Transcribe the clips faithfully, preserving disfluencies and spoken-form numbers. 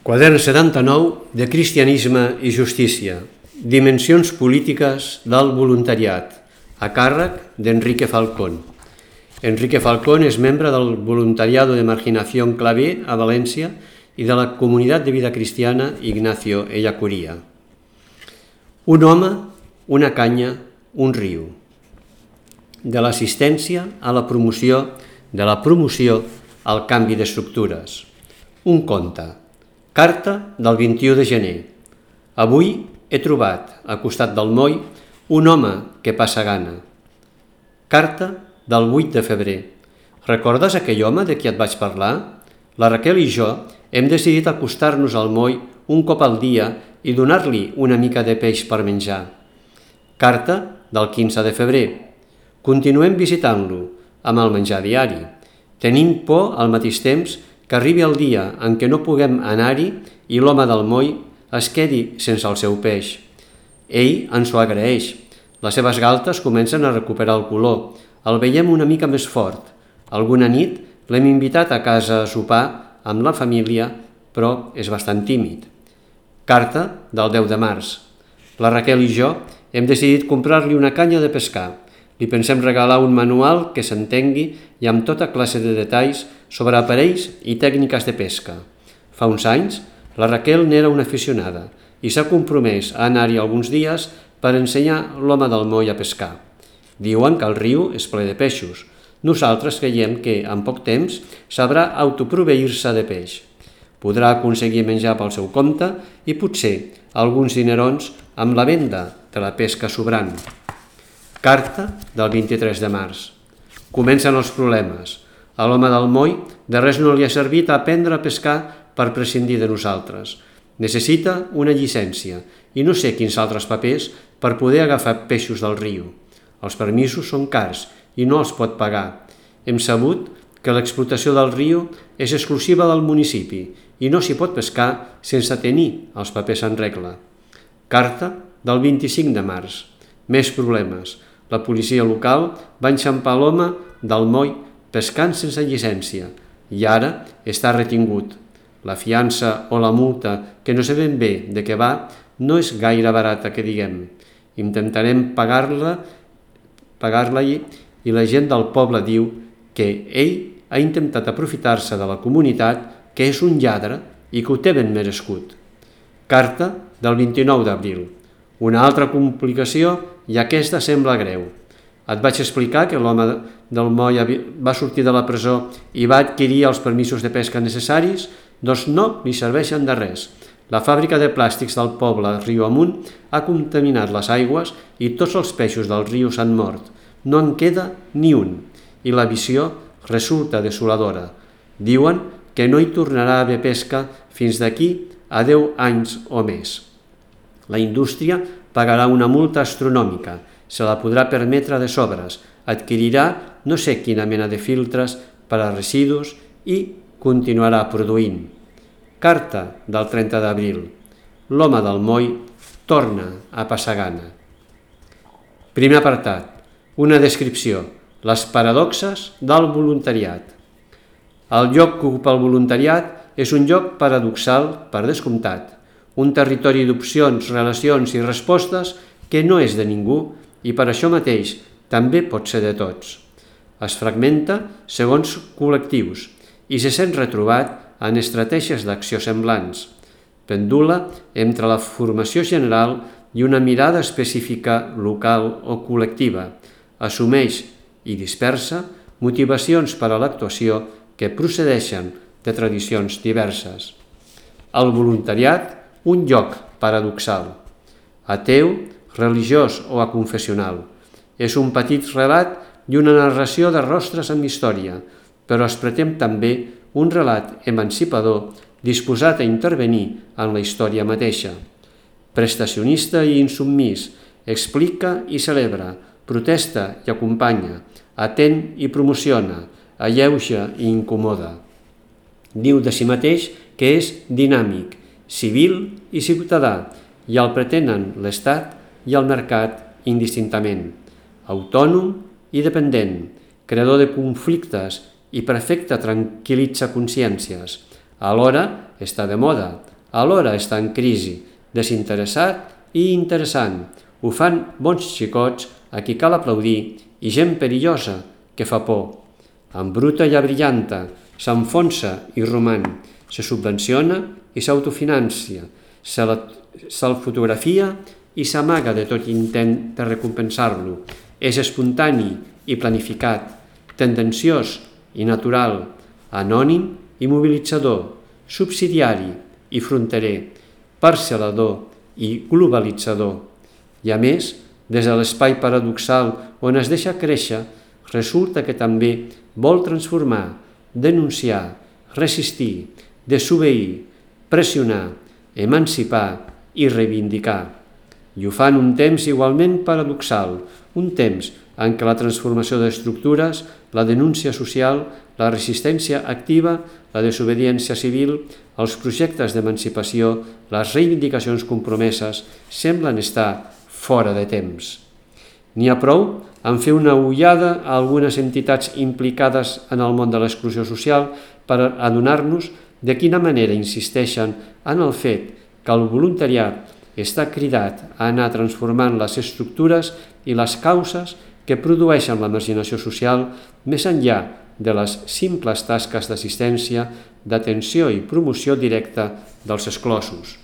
Quadern setanta-nou de Cristianisme i Justícia. Dimensions polítiques del voluntariat, a càrrec d'Enrique Falcón. Enrique Falcón és membre del Voluntariado de Marginación Clavé a València i de la Comunitat de Vida Cristiana Ignacio Ellacuría. Un home, una canya, un riu. De l'assistència a la promoció, de la promoció al canvi d'estructures. Un conte. Carta del vint-i-u de gener. Avui he trobat, al costat del moll, un home que passa gana. Carta del vuit de febrer. Recordes aquell home de qui et vaig parlar? La Raquel i jo hem decidit acostar-nos al moll un cop al dia i donar-li una mica de peix per menjar. Carta del quinze de febrer. Continuem visitant-lo, amb el menjar diari. Tenim por al mateix temps que arribi el dia en què no puguem anar-hi i l'home del moll es quedi sense el seu peix. Ell ens ho agraeix. Les seves galtes comencen a recuperar el color. El veiem una mica més fort. Alguna nit l'hem invitat a casa a sopar amb la família, però és bastant tímid. Carta del deu de març. La Raquel i jo hem decidit comprar-li una canya de pescar. Li pensem regalar un manual que s'entengui i amb tota classe de detalls sobre aparells i tècniques de pesca. Fa uns anys, la Raquel n'era una aficionada i s'ha compromès a anar-hi alguns dies per ensenyar l'home del moll a pescar. Diuen que el riu és ple de peixos. Nosaltres creiem que, en poc temps, sabrà autoproveir-se de peix. Podrà aconseguir menjar pel seu compte i potser alguns dinerons amb la venda de la pesca sobrant. Carta del vint-i-tres de març. Comencen els problemes. A l'home del moll de res no li ha servit aprendre a pescar per prescindir de nosaltres. Necessita una llicència i no sé quins altres papers per poder agafar peixos del riu. Els permisos són cars i no els pot pagar. Hem sabut que l'explotació del riu és exclusiva del municipi i no s'hi pot pescar sense tenir els papers en regla. Carta del vint-i-cinc de març. Més problemes. La policia local va enxampar l'home del moll pescant sense llicència i ara està retingut. La fiança o la multa, que no sabem bé de què va, no és gaire barata, que diguem. Intentarem pagar-la pagar-la i la gent del poble diu que ell ha intentat aprofitar-se de la comunitat, que és un lladre i que ho té ben merescut. Carta del vint-i-nou d'abril. Una altra complicació i aquesta sembla greu. Et vaig explicar que l'home del moll va sortir de la presó i va adquirir els permisos de pesca necessaris? Doncs no li serveixen de res. La fàbrica de plàstics del poble riu amunt ha contaminat les aigües i tots els peixos del riu s'han mort. No en queda ni un i la visió resulta desoladora. Diuen que no hi tornarà a haver pesca fins d'aquí a deu anys o més. La indústria pagarà una multa astronòmica, se la podrà permetre de sobres, adquirirà no sé quina mena de filtres per a residus i continuarà produint. Carta del trenta d'abril. L'home del moll torna a passar gana. Primer apartat. Una descripció. Les paradoxes del voluntariat. El lloc que ocupa el voluntariat és un lloc paradoxal per descomptat. Un territori d'opcions, relacions i respostes que no és de ningú i per això mateix també pot ser de tots. Es fragmenta segons col·lectius i se sent retrobat en estratègies d'acció semblants. Pendula entre la formació general i una mirada específica local o col·lectiva. Assumeix i dispersa motivacions per a l'actuació que procedeixen de tradicions diverses. El voluntariat, un lloc paradoxal, ateu, religiós o aconfessional. És un petit relat i una narració de rostres amb història, però es pretén també un relat emancipador disposat a intervenir en la història mateixa. Prestacionista i insubmís, explica i celebra, protesta i acompanya, atén i promociona, alleuja i incomoda. Diu de si mateix que és dinàmic, civil i ciutadà, i el pretenen l'Estat i el mercat indistintament. Autònom i dependent, creador de conflictes i perfecte tranquil·litza consciències. Alhora està de moda, alhora està en crisi, desinteressat i interessant. Ho fan bons xicots a qui cal aplaudir i gent perillosa que fa por. Embruta i abrillanta, s'enfonsa i roman, se subvenciona i s'autofinancia, se'l fotografia i s'amaga de tot intent de recompensar-lo. És espontani i planificat, tendenciós i natural, anònim i mobilitzador, subsidiari i fronterer, parcel·lador i globalitzador. I a més, des de l'espai paradoxal on es deixa créixer, resulta que també vol transformar, denunciar, resistir, desobeir, pressionar, emancipar i reivindicar. I ho fa en un temps igualment paradoxal, un temps en què la transformació d'estructures, la denúncia social, la resistència activa, la desobediència civil, els projectes d'emancipació, les reivindicacions compromeses semblen estar fora de temps. N'hi ha prou en fer una ullada a algunes entitats implicades en el món de l'exclusió social per adonar-nos de quina manera insisteixen en el fet que el voluntariat està cridat a anar transformant les estructures i les causes que produeixen la marginació social més enllà de les simples tasques d'assistència, d'atenció i promoció directa dels exclosos.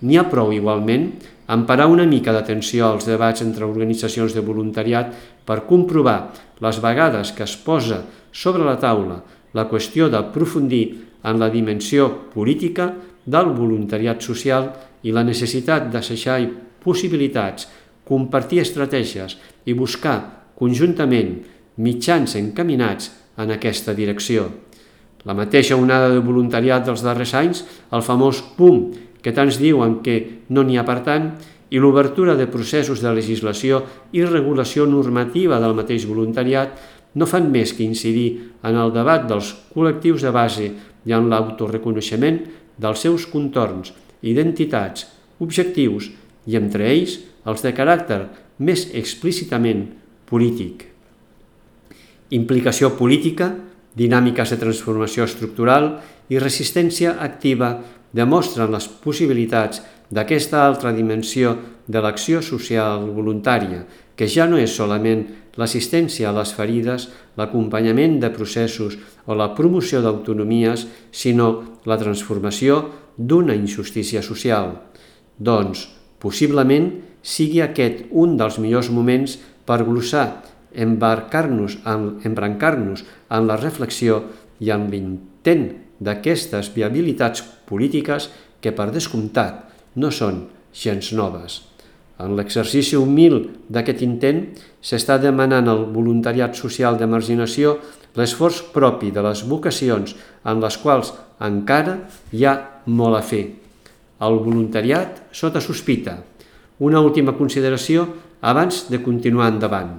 N'hi ha prou, igualment, en parar una mica d'atenció als debats entre organitzacions de voluntariat per comprovar les vegades que es posa sobre la taula la qüestió d'aprofundir en la dimensió política del voluntariat social i la necessitat d'assajar possibilitats, compartir estratègies i buscar conjuntament mitjans encaminats en aquesta direcció. La mateixa onada de voluntariat dels darrers anys, el famós boom que tants diuen que no n'hi ha per tant, i l'obertura de processos de legislació i regulació normativa del mateix voluntariat no fan més que incidir en el debat dels col·lectius de base i en l'autoreconeixement dels seus contorns, identitats, objectius i entre ells els de caràcter més explícitament polític. Implicació política, dinàmiques de transformació estructural i resistència activa demostren les possibilitats d'aquesta altra dimensió de l'acció social voluntària, que ja no és solament l'assistència a les ferides, l'acompanyament de processos o la promoció d'autonomies, sinó la transformació d'una injustícia social. Doncs, possiblement, sigui aquest un dels millors moments per glossar, embarcar-nos en, embrancar-nos en la reflexió i en l'intent d'aquestes viabilitats polítiques que, per descomptat, no són gens noves. En l'exercici humil d'aquest intent s'està demanant al voluntariat social de marginació l'esforç propi de les vocacions en les quals encara hi ha molt a fer. El voluntariat sota sospita. Una última consideració abans de continuar endavant.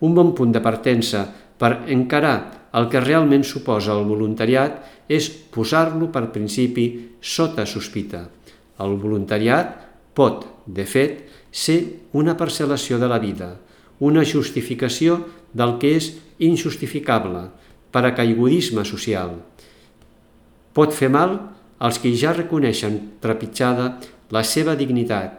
Un bon punt de partença per encarar el que realment suposa el voluntariat és posar-lo per principi sota sospita. El voluntariat pot, de fet, ser una parcel·lació de la vida, una justificació del que és injustificable, paracaigudisme social. Pot fer mal als que ja reconeixen trepitjada la seva dignitat.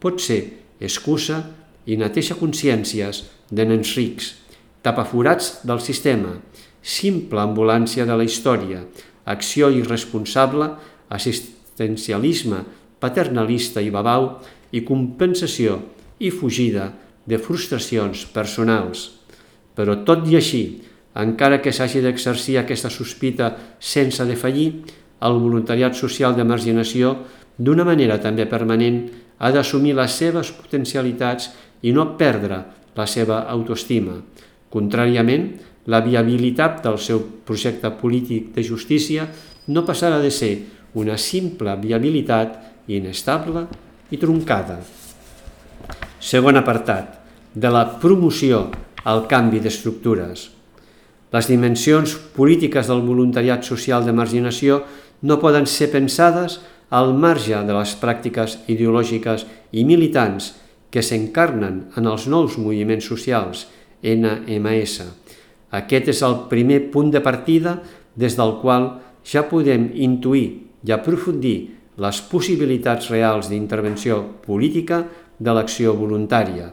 Pot ser excusa i neteja consciències de nens rics, tapaforats del sistema, simple ambulància de la història, acció irresponsable, assistencialisme paternalista i babau i compensació i fugida de frustracions personals. Però tot i així, encara que s'hagi d'exercir aquesta sospita sense defallir, el voluntariat social de marginació, d'una manera també permanent, ha d'assumir les seves potencialitats i no perdre la seva autoestima. Contràriament, la viabilitat del seu projecte polític de justícia no passarà de ser una simple viabilitat inestable i truncada. Segon apartat, de la promoció al canvi d'estructures. Les dimensions polítiques del voluntariat social de marginació no poden ser pensades al marge de les pràctiques ideològiques i militants que s'encarnen en els nous moviments socials, N M S. Aquest és el primer punt de partida des del qual ja podem intuir i aprofundir les possibilitats reals d'intervenció política de l'acció voluntària.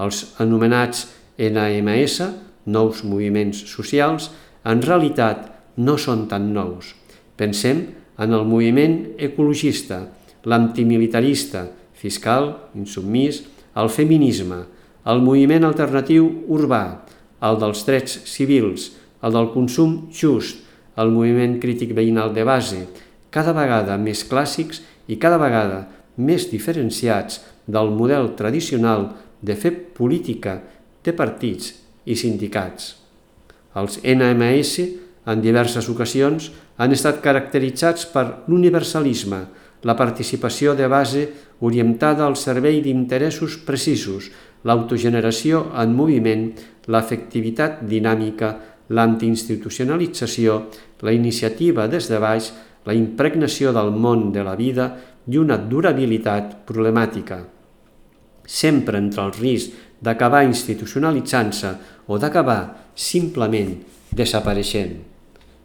Els anomenats N M S, nous moviments socials, en realitat no són tan nous. Pensem en el moviment ecologista, l'antimilitarista, fiscal, insubmís, el feminisme, el moviment alternatiu urbà, el dels drets civils, el del consum just, el moviment crític veïnal de base, cada vegada més clàssics i cada vegada més diferenciats del model tradicional de fer política de partits i sindicats. Els N M S, en diverses ocasions, han estat caracteritzats per l'universalisme, la participació de base orientada al servei d'interessos precisos, l'autogeneració en moviment, l'efectivitat dinàmica, l'antiinstitucionalització, la iniciativa des de baix, la impregnació del món de la vida i una durabilitat problemàtica. Sempre entre el risc d'acabar institucionalitzant-se o d'acabar simplement desapareixent.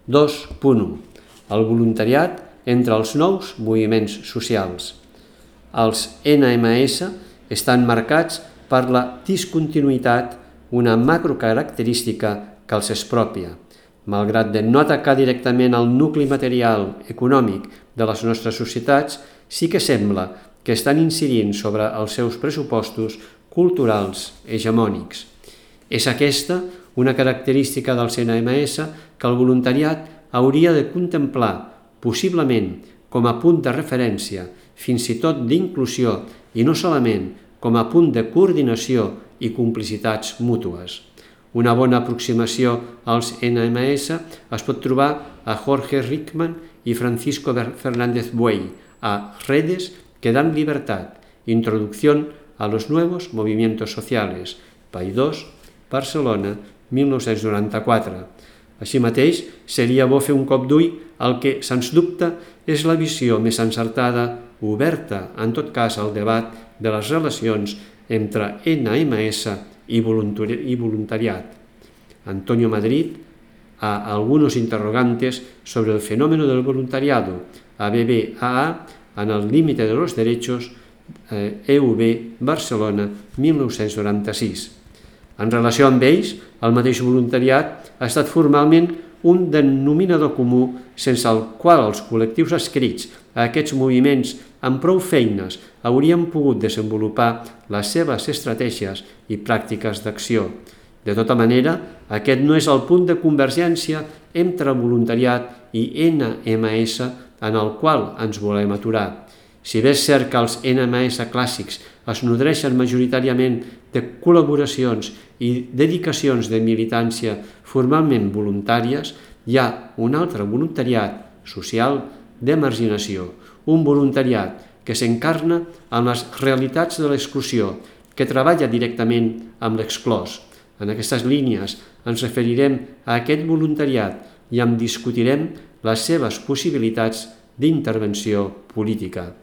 dos punt u. El voluntariat entre els nous moviments socials. Els N M S estan marcats per la discontinuïtat, una macrocaracterística que els és pròpia. Malgrat de no atacar directament el nucli material econòmic de les nostres societats, sí que sembla que estan incidint sobre els seus pressupostos culturals hegemònics. És aquesta una característica dels N M S que el voluntariat hauria de contemplar, possiblement com a punt de referència, fins i tot d'inclusió i no solament com a punt de coordinació i complicitats mútues. Una bona aproximació als N M S es pot trobar a Jorge Rickman i Francisco Fernández Buey, a Redes que dan libertad, Introducción a los nuevos movimientos sociales, Paidós, Barcelona, mil nou-cents noranta-quatre. Així mateix, seria bo fer un cop d'ull al que, sens dubte, és la visió més encertada, oberta, en tot cas, al debat de les relacions entre N M S y voluntariat. Antonio Madrid, a algunos interrogantes sobre el fenómeno del voluntariado, a B B A A, en el límite de los derechos, eh, E U B, Barcelona, mil nou-cents noranta-sis. En relació amb ells, el mateix voluntariat ha estat formalment un denominador comú sense el qual els col·lectius adscrits a aquests moviments amb prou feines haurien pogut desenvolupar les seves estratègies i pràctiques d'acció. De tota manera, aquest no és el punt de convergència entre voluntariat i N M S en el qual ens volem aturar. Si bé és cert que els N M S clàssics es nodreixen majoritàriament de col·laboracions i dedicacions de militància formalment voluntàries, hi ha un altre voluntariat social de marginació, un voluntariat que s'encarna en les realitats de l'exclusió, que treballa directament amb l'exclòs. En aquestes línies ens referirem a aquest voluntariat i en discutirem les seves possibilitats d'intervenció política.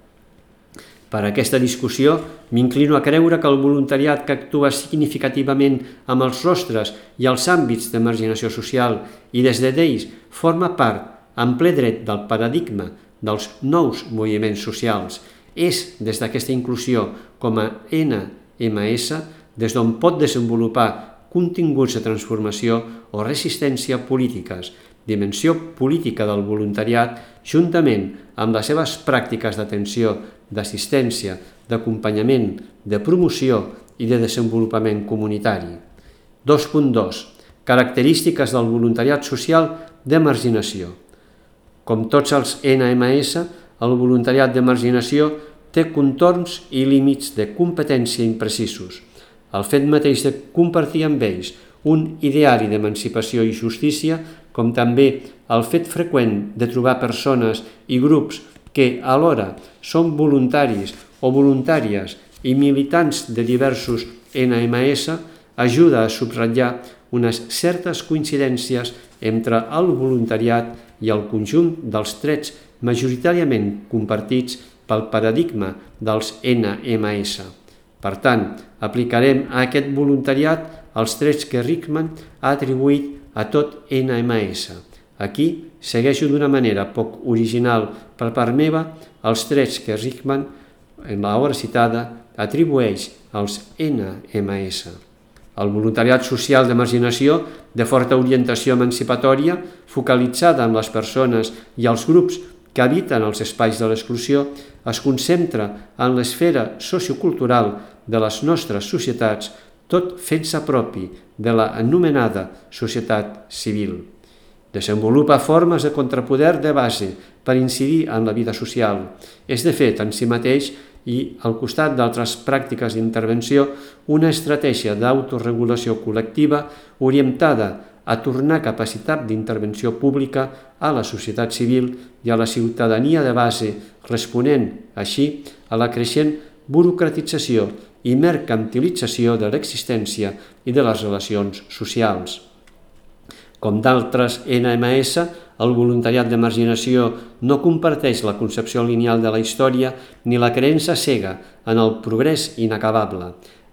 Per a aquesta discussió m'inclino a creure que el voluntariat que actua significativament amb els rostres i els àmbits de marginació social i des d'ells forma part en ple dret del paradigma dels nous moviments socials, és des d'aquesta inclusió com a N M S des d'on pot desenvolupar continguts de transformació o resistència polítiques, dimensió política del voluntariat juntament amb les seves pràctiques d'atenció, d'assistència, d'acompanyament, de promoció i de desenvolupament comunitari. dos punt dos. Característiques del voluntariat social de marginació. Com tots els N M S, el voluntariat de marginació té contorns i límits de competència imprecisos. El fet mateix de compartir amb ells un ideari d'emancipació i justícia, com també el fet freqüent de trobar persones i grups que alhora són voluntaris o voluntàries i militants de diversos N M S, ajuda a subratllar unes certes coincidències entre el voluntariat i el conjunt dels trets majoritàriament compartits pel paradigma dels N M S. Per tant, aplicarem a aquest voluntariat els trets que Rickman ha atribuït a tot N M S, Aquí segueixo d'una manera poc original per part meva els trets que Richman, en l'obra citada, atribueix als ena ema essa. El voluntariat social de marginació, de forta orientació emancipatòria, focalitzada en les persones i els grups que habiten els espais de l'exclusió, es concentra en l'esfera sociocultural de les nostres societats, tot fent-se propi de la anomenada societat civil. Desenvolupa formes de contrapoder de base per incidir en la vida social. És, de fet, en si mateix i, al costat d'altres pràctiques d'intervenció, una estratègia d'autoregulació col·lectiva orientada a tornar capacitat d'intervenció pública a la societat civil i a la ciutadania de base, responent, així, a la creixent burocratització i mercantilització de l'existència i de les relacions socials. Com d'altres ena ema essa, el voluntariat de marginació no comparteix la concepció lineal de la història ni la creença cega en el progrés inacabable.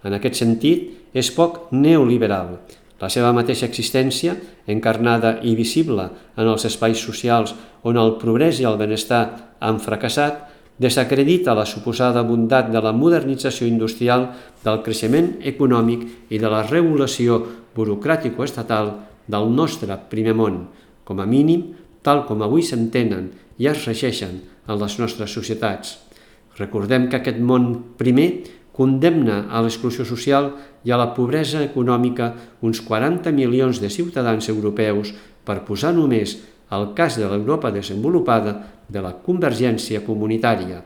En aquest sentit, és poc neoliberal. La seva mateixa existència, encarnada i visible en els espais socials on el progrés i el benestar han fracassat, desacredita la suposada bondat de la modernització industrial, del creixement econòmic i de la regulació burocràtico-estatal del nostre primer món, com a mínim, tal com avui s'entenen i es regeixen en les nostres societats. Recordem que aquest món primer condemna a l'exclusió social i a la pobresa econòmica uns quaranta milions de ciutadans europeus, per posar només el cas de l'Europa desenvolupada de la convergència comunitària.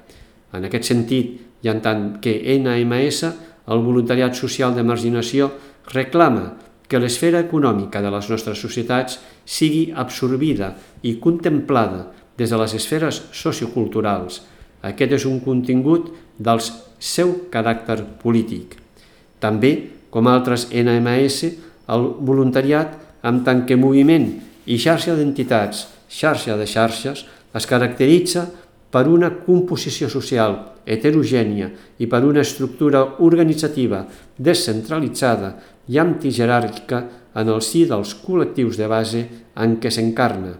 En aquest sentit, i en tant que ena ema essa, el voluntariat social de marginació reclama que l'esfera econòmica de les nostres societats sigui absorbida i contemplada des de les esferes socioculturals. Aquest és un contingut del seu caràcter polític. També, com altres ena ema essa, el voluntariat, en tant que moviment i xarxa d'entitats, xarxa de xarxes, es caracteritza per una composició social heterogènia i per una estructura organitzativa descentralitzada i antijeràrquica en el si dels col·lectius de base en què s'encarna.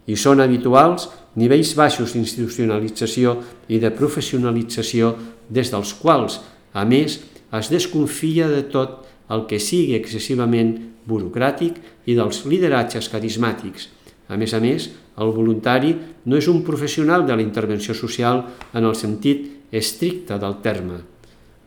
I són habituals nivells baixos d'institucionalització i de professionalització des dels quals, a més, es desconfia de tot el que sigui excessivament burocràtic i dels lideratges carismàtics. A més a més, el voluntari no és un professional de la intervenció social en el sentit estricte del terme.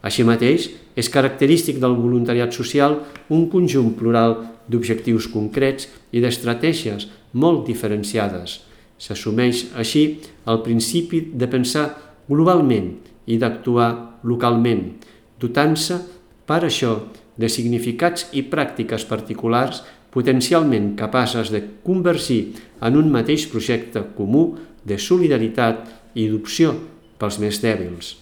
Així mateix, és característic del voluntariat social un conjunt plural d'objectius concrets i d'estratègies molt diferenciades. S'assumeix així el principi de pensar globalment i d'actuar localment, dotant-se per això de significats i pràctiques particulars potencialment capaces de convergir en un mateix projecte comú de solidaritat i d'opció pels més dèbils.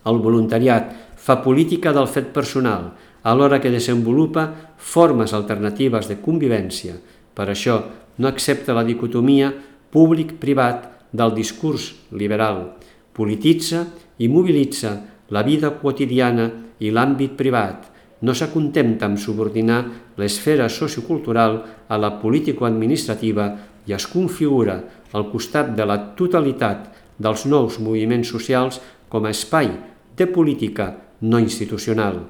El voluntariat fa política del fet personal, alhora que desenvolupa formes alternatives de convivència. Per això no accepta la dicotomia públic-privat del discurs liberal. Polititza i mobilitza la vida quotidiana i l'àmbit privat. No s'acontenta amb subordinar l'esfera sociocultural a la político-administrativa i es configura al costat de la totalitat dels nous moviments socials com a espai de política no institucional.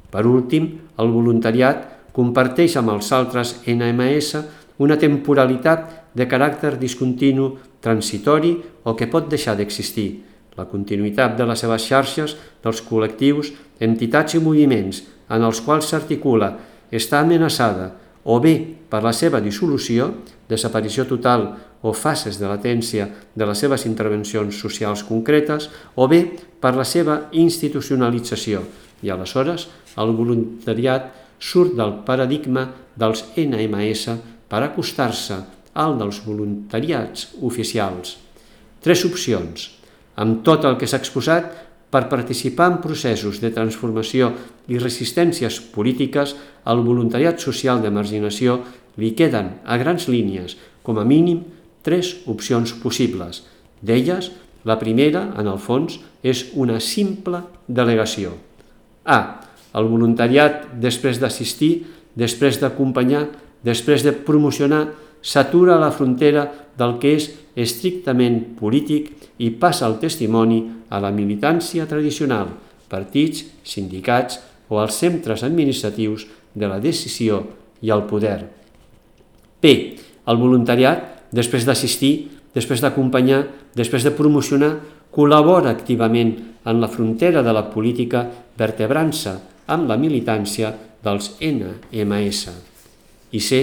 Per últim, el voluntariat comparteix amb els altres ena ema essa una temporalitat de caràcter discontinu, transitori o que pot deixar d'existir. La continuïtat de les seves xarxes, dels col·lectius, entitats i moviments en els quals s'articula està amenaçada o bé per la seva dissolució, desaparició total o fases de latència de les seves intervencions socials concretes, o bé per la seva institucionalització. I aleshores el voluntariat surt del paradigma dels ena ema essa per acostar-se al dels voluntariats oficials. Tres opcions. Amb tot el que s'ha exposat, per participar en processos de transformació i resistències polítiques, al voluntariat social de marginació li queden, a grans línies, com a mínim, tres opcions possibles. D'elles, la primera, en el fons, és una simple delegació. A. El voluntariat, després d'assistir, després d'acompanyar, després de promocionar, s'atura a la frontera del que és estrictament polític i passa el testimoni a la militància tradicional, partits, sindicats o els centres administratius de la decisió i el poder. P. El voluntariat, després d'assistir, després d'acompanyar, després de promocionar, col·labora activament en la frontera de la política, vertebrant-se amb la militància dels ene eme esse. I C.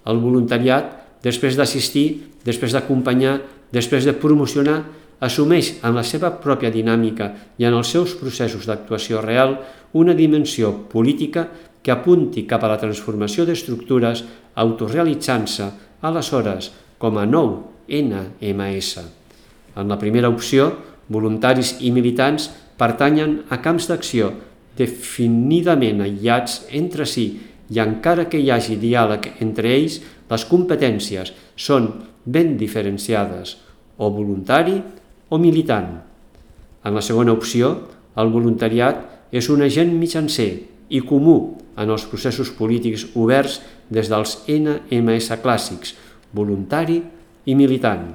El voluntariat, després d'assistir, després d'acompanyar, després de promocionar, assumeix en la seva pròpia dinàmica i en els seus processos d'actuació real una dimensió política que apunti cap a la transformació d'estructures, autorealitzant-se aleshores com a nou ene eme esse. En la primera opció, voluntaris i militants pertanyen a camps d'acció definidament aïllats entre si i encara que hi hagi diàleg entre ells, les competències són ben diferenciades, o voluntari o militant. En la segona opció, el voluntariat és un agent mitjancer i comú en els processos polítics oberts des dels ene eme esse clàssics, voluntari i militant.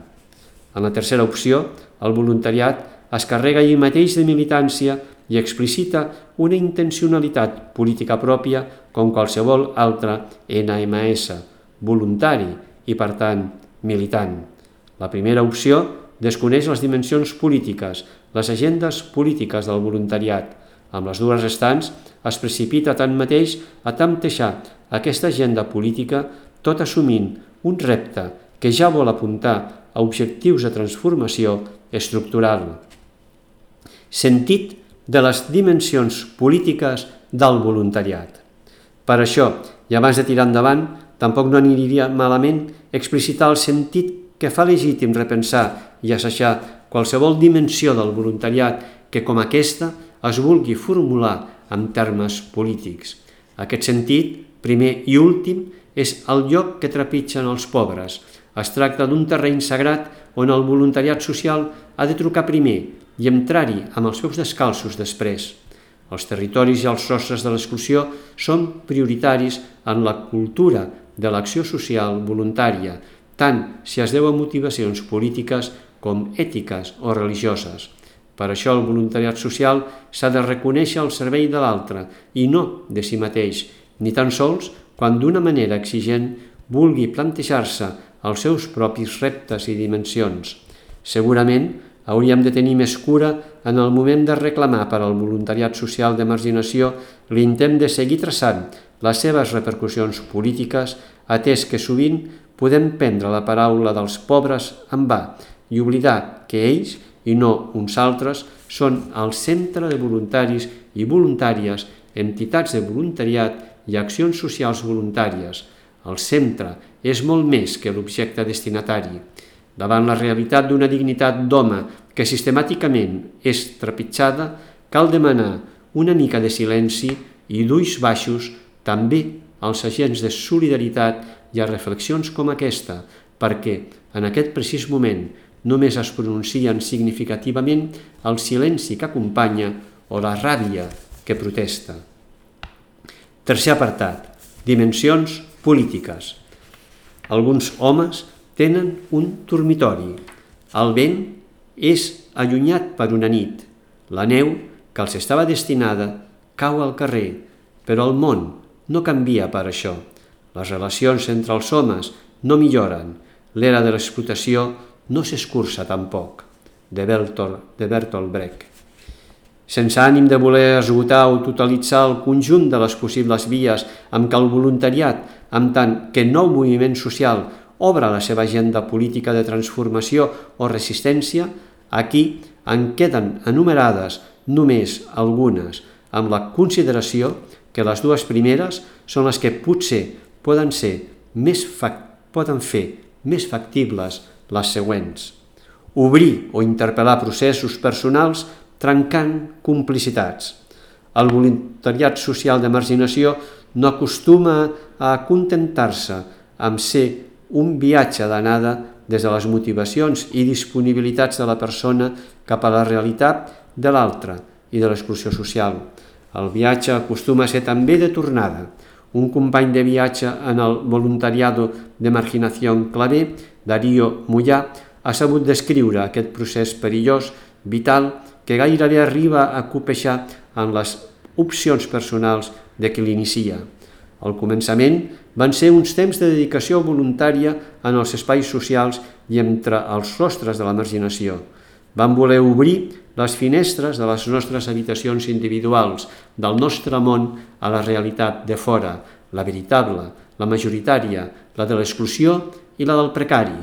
En la tercera opció, el voluntariat es carrega ell mateix de militància i explicita una intencionalitat política pròpia com qualsevol altre ene eme esse, voluntari i, per tant, militant. La primera opció desconeix les dimensions polítiques, les agendes polítiques del voluntariat. Amb les dues restants es precipita tanmateix a temptejar aquesta agenda política tot assumint un repte que ja vol apuntar a objectius de transformació estructural. Sentit de les dimensions polítiques del voluntariat. Per això, i abans de tirar endavant, tampoc no aniria malament explicitar el sentit que fa legítim repensar i assajar qualsevol dimensió del voluntariat que, com aquesta, es vulgui formular en termes polítics. Aquest sentit, primer i últim, és el lloc que trepitgen els pobres. Es tracta d'un terreny sagrat on el voluntariat social ha de trucar primer i entrar-hi amb els peus descalços després. Els territoris i els rostres de l'exclusió són prioritaris en la cultura de l'acció social voluntària, tant si es deu a motivacions polítiques com ètiques o religioses. Per això el voluntariat social s'ha de reconèixer al servei de l'altre i no de si mateix, ni tan sols quan d'una manera exigent vulgui plantejar-se els seus propis reptes i dimensions. Segurament hauríem de tenir més cura en el moment de reclamar per al voluntariat social de marginació l'intent de seguir traçant les seves repercussions polítiques, atès que sovint podem prendre la paraula dels pobres en va i oblidar que ells, i no uns altres, són el centre de voluntaris i voluntàries, entitats de voluntariat i accions socials voluntàries. El centre és molt més que l'objecte destinatari. Davant la realitat d'una dignitat d'home que sistemàticament és trepitjada, cal demanar una mica de silenci i d'ulls baixos també als agents de solidaritat i a reflexions com aquesta, perquè en aquest precís moment només es pronuncien significativament el silenci que acompanya o la ràbia que protesta. Tercer apartat, dimensions polítiques. Alguns homes tenen un dormitori. El vent és allunyat per una nit. La neu, que els estava destinada, cau al carrer, però el món no canvia per això. Les relacions entre els homes no milloren. L'era de l'explotació no s'escurça tampoc. De Bertolt Brecht. Sense ànim de voler esgotar o totalitzar el conjunt de les possibles vies amb què el voluntariat, amb tant que nou moviment social, obre la seva agenda política de transformació o resistència, aquí en queden enumerades només algunes, amb la consideració que les dues primeres són les que potser poden ser més poden fer més factibles les següents. Obrir o interpel·lar processos personals trencant complicitats. El voluntariat social de marginació no acostuma a acontentar-se amb ser un viatge d'anada des de les motivacions i disponibilitats de la persona cap a la realitat de l'altre i de l'exclusió social. El viatge acostuma a ser també de tornada, un company de viatge en el voluntariado de marginación clavé, Darío Mollà, ha sabut descriure aquest procés perillós, vital, que gairebé arriba a copejar en les opcions personals de qui l'inicia. Al començament van ser uns temps de dedicació voluntària en els espais socials i entre els rostres de la marginació. Vam voler obrir les finestres de les nostres habitacions individuals, del nostre món a la realitat de fora, la veritable, la majoritària, la de l'exclusió i la del precari.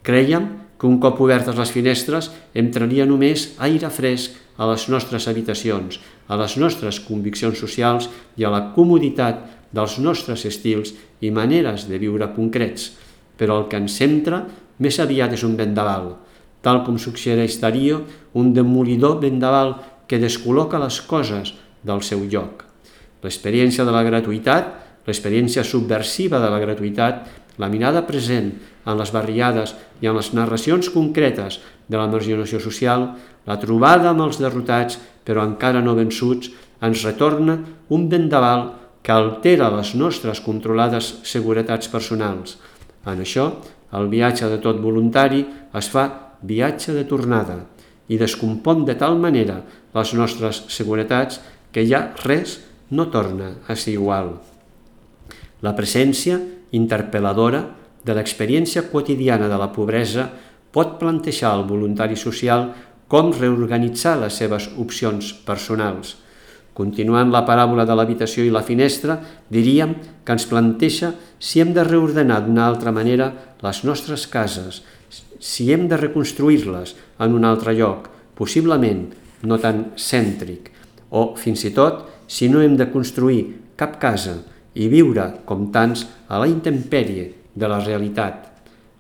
Crèiem que un cop obertes les finestres entraria només aire fresc a les nostres habitacions, a les nostres conviccions socials i a la comoditat dels nostres estils i maneres de viure concrets, però el que ens centra més aviat és un vendaval, tal com suggereix Darío, un demolidor vendaval que descol·loca les coses del seu lloc. L'experiència de la gratuïtat, l'experiència subversiva de la gratuïtat, la mirada present en les barriades i en les narracions concretes de la marginació social, la trobada amb els derrotats però encara no vençuts, ens retorna un vendaval que altera les nostres controlades seguretats personals. En això, el viatge de tot voluntari es fa viatge de tornada i descompon de tal manera les nostres seguretats que ja res no torna a ser igual. La presència interpel·ladora de l'experiència quotidiana de la pobresa pot plantejar al voluntari social com reorganitzar les seves opcions personals. Continuant la paràbola de l'habitació i la finestra, diríem que ens planteja si hem de reordenar d'una altra manera les nostres cases, si hem de reconstruir-les en un altre lloc, possiblement no tan cèntric, o fins i tot si no hem de construir cap casa i viure com tants a la intempèrie de la realitat.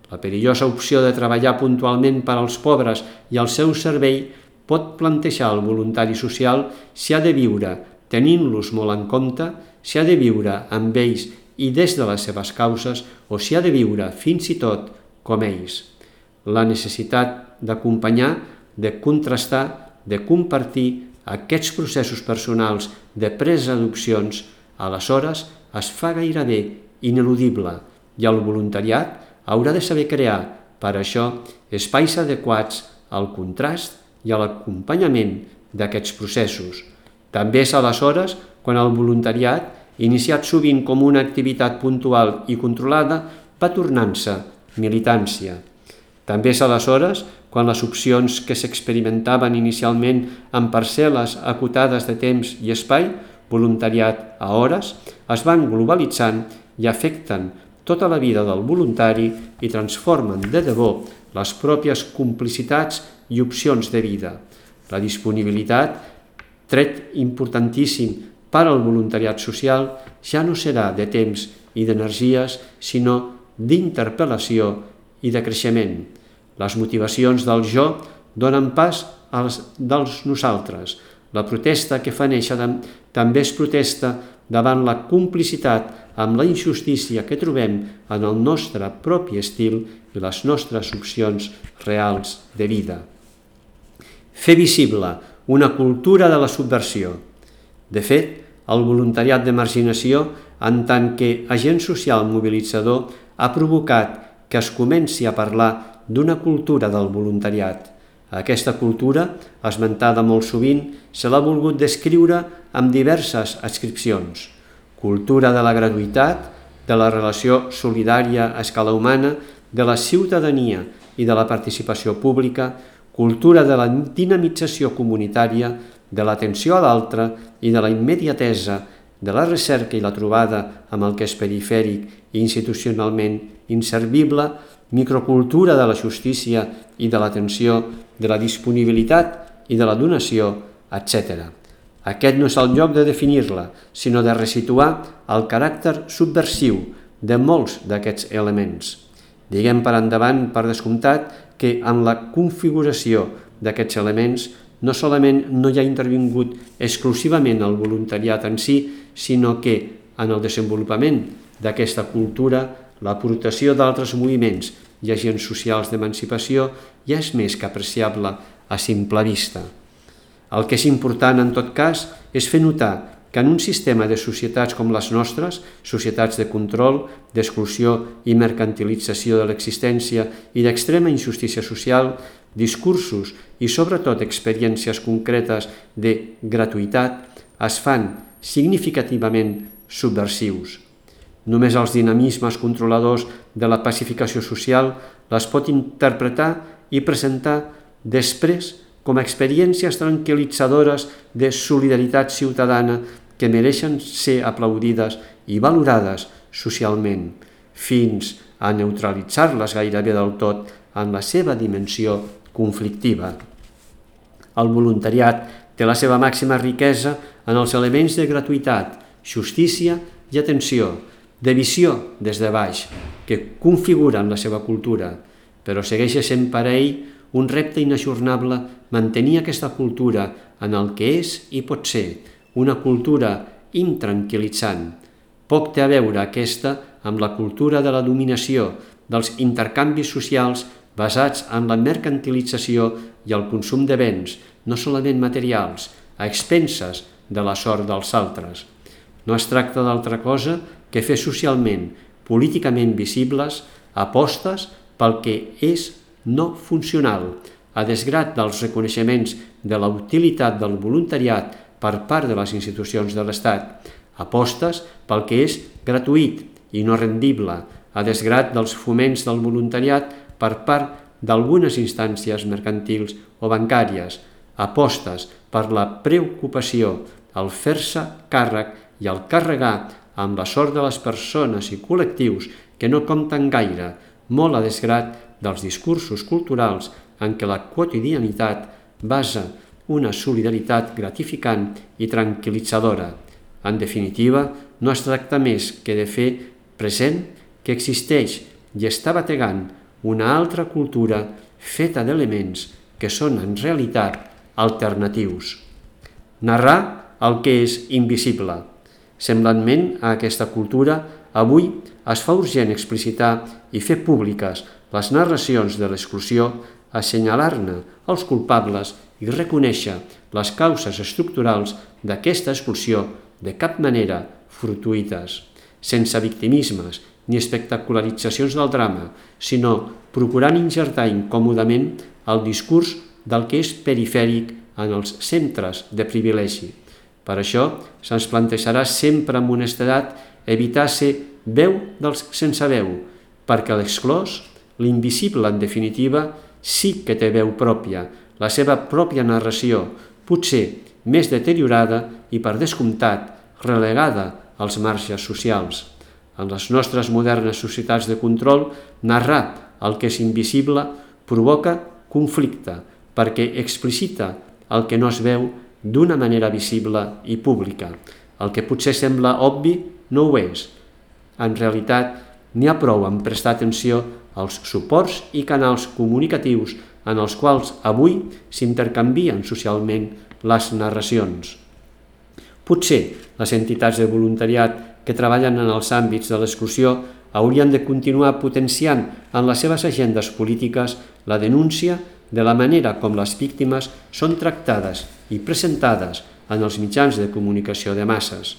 La perillosa opció de treballar puntualment per als pobres i al seu servei pot plantejar al voluntari social si ha de viure tenint-los molt en compte, si ha de viure amb ells i des de les seves causes o si ha de viure fins i tot com ells. La necessitat d'acompanyar, de contrastar, de compartir aquests processos personals de presa d'opcions, aleshores es fa gairebé ineludible i el voluntariat haurà de saber crear, per això, espais adequats al contrast i a l'acompanyament d'aquests processos. També és aleshores quan el voluntariat, iniciat sovint com una activitat puntual i controlada, va tornant-se militància. També és aleshores quan les opcions que s'experimentaven inicialment en parcel·les acotades de temps i espai, voluntariat a hores, es van globalitzant i afecten tota la vida del voluntari i transformen de debò les pròpies complicitats i opcions de vida. La disponibilitat, tret importantíssim per al voluntariat social, ja no serà de temps i d'energies, sinó d'interpel·lació i de creixement. Les motivacions del jo donen pas als dels nosaltres. La protesta que fa néixer també es protesta davant la complicitat amb la injustícia que trobem en el nostre propi estil i les nostres opcions reals de vida. Fer visible una cultura de la subversió. De fet, el voluntariat de marginació, en tant que agent social mobilitzador, ha provocat que es comenci a parlar d'una cultura del voluntariat. Aquesta cultura, esmentada molt sovint, se l'ha volgut descriure amb diverses adscripcions. Cultura de la gratuïtat, de la relació solidària a escala humana, de la ciutadania i de la participació pública, cultura de la dinamització comunitària, de l'atenció a l'altre i de la immediatesa, de la recerca i la trobada amb el que és perifèric i institucionalment inservible, microcultura de la justícia i de l'atenció, de la disponibilitat i de la donació, etcètera. Aquest no és el lloc de definir-la, sinó de resituar el caràcter subversiu de molts d'aquests elements. Diguem per endavant, per descomptat, que en la configuració d'aquests elements no solament no hi ha intervingut exclusivament el voluntariat en si, sinó que en el desenvolupament d'aquesta cultura l'aportació d'altres moviments i agents socials d'emancipació ja és més que apreciable a simple vista. El que és important, en tot cas, és fer notar que en un sistema de societats com les nostres, societats de control, d'exclusió i mercantilització de l'existència i d'extrema injustícia social, discursos i sobretot experiències concretes de gratuïtat es fan significativament subversius. Només els dinamismes controladors de la pacificació social les pot interpretar i presentar després com a experiències tranquil·litzadores de solidaritat ciutadana que mereixen ser aplaudides i valorades socialment, fins a neutralitzar-les gairebé del tot en la seva dimensió conflictiva. El voluntariat té la seva màxima riquesa en els elements de gratuïtat, justícia i atenció, de visió des de baix, que configuren la seva cultura, però segueix sent per a ell un repte inajornable mantenir aquesta cultura en el que és i pot ser, una cultura intranquil·litzant. Poc té a veure aquesta amb la cultura de la dominació, dels intercanvis socials basats en la mercantilització i el consum de béns, no solament materials, a expenses de la sort dels altres. No es tracta d'altra cosa que fer socialment, políticament visibles, apostes pel que és no funcional, a desgrat dels reconeixements de la utilitat del voluntariat per part de les institucions de l'Estat, apostes pel que és gratuït i no rendible, a desgrat dels foments del voluntariat per part d'algunes instàncies mercantils o bancàries, apostes per la preocupació, el fer-se càrrec i el carregar amb la sort de les persones i col·lectius que no compten gaire, molt a desgrat dels discursos culturals en què la quotidianitat basa una solidaritat gratificant i tranquil·litzadora. En definitiva, no es tracta més que de fer present que existeix i està bategant una altra cultura feta d'elements que són en realitat alternatius. Narrar el que és invisible. Semblantment a aquesta cultura, avui es fa urgent explicitar i fer públiques les narracions de l'exclusió, assenyalar-ne els culpables i reconèixer les causes estructurals d'aquesta expulsió de cap manera fortuïtes, sense victimismes ni espectacularitzacions del drama, sinó procurant injertar incòmodament el discurs del que és perifèric en els centres de privilegi. Per això se'ns plantejarà sempre amb honestedat evitar ser veu dels sense veu, perquè l'exclòs, l'invisible en definitiva, sí que té veu pròpia, la seva pròpia narració, potser més deteriorada i per descomptat relegada als marges socials. En les nostres modernes societats de control, narrar el que és invisible provoca conflicte, perquè explicita el que no es veu d'una manera visible i pública. El que potser sembla obvi no ho és. En realitat, n'hi ha prou en prestar atenció als suports i canals comunicatius en els quals avui s'intercanvien socialment les narracions. Potser les entitats de voluntariat que treballen en els àmbits de l'exclusió haurien de continuar potenciant en les seves agendes polítiques la denúncia de la manera com les víctimes són tractades i presentades en els mitjans de comunicació de masses.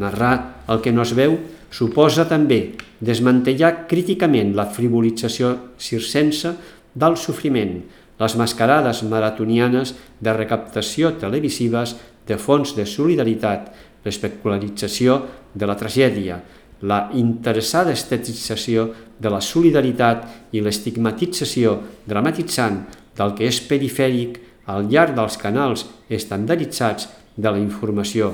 Narrar el que no es veu suposa també desmantellar críticament la frivolització circense del sofriment, les mascarades maratonianes de recaptació televisives de fons de solidaritat, l'especularització de la tragèdia, la interessada estetització de la solidaritat i l'estigmatització dramatitzant del que és perifèric al llarg dels canals estandarditzats de la informació.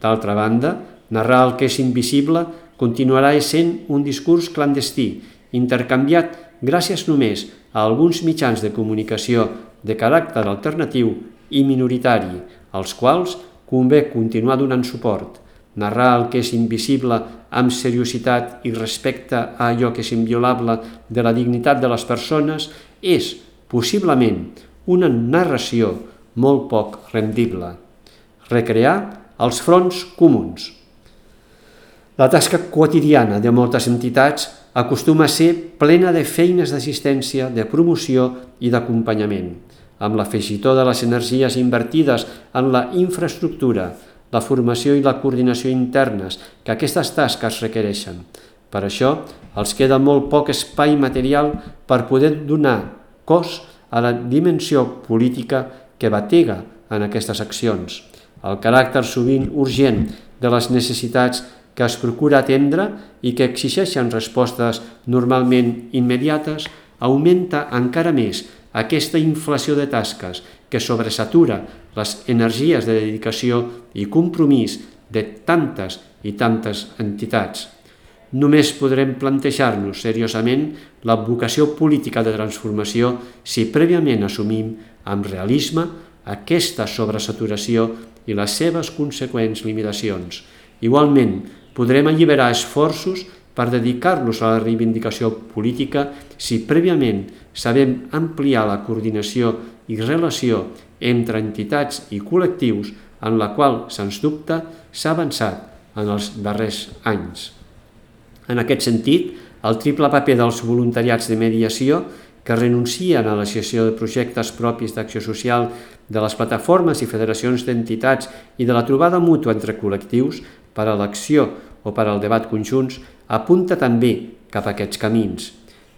D'altra banda, narrar el que és invisible continuarà essent un discurs clandestí, intercanviat gràcies només a alguns mitjans de comunicació de caràcter alternatiu i minoritari, als quals convé continuar donant suport. Narrar el que és invisible amb seriositat i respecte a allò que és inviolable de la dignitat de les persones és, possiblement, una narració molt poc rendible. Recrear els fronts comuns. La tasca quotidiana de moltes entitats acostuma a ser plena de feines d'assistència, de promoció i d'acompanyament, amb l'afegitó de les energies invertides en la infraestructura, la formació i la coordinació internes que aquestes tasques requereixen. Per això, els queda molt poc espai material per poder donar cos a la dimensió política que batega en aquestes accions. El caràcter sovint urgent de les necessitats que es procura atendre i que exigeixen respostes normalment immediates augmenta encara més aquesta inflació de tasques que sobresatura les energies de dedicació i compromís de tantes i tantes entitats. Només podrem plantejar-nos seriosament la vocació política de transformació si prèviament assumim amb realisme aquesta sobresaturació i les seves conseqüents limitacions. Igualment, podrem alliberar esforços per dedicar-los a la reivindicació política si prèviament sabem ampliar la coordinació i relació entre entitats i col·lectius en la qual, sens dubte, s'ha avançat en els darrers anys. En aquest sentit, el triple paper dels voluntariats de mediació que renuncien a la gestió de projectes propis d'acció social de les plataformes i federacions d'entitats i de la trobada mútua entre col·lectius per a l'acció o per al debat conjunts, apunta també cap a aquests camins.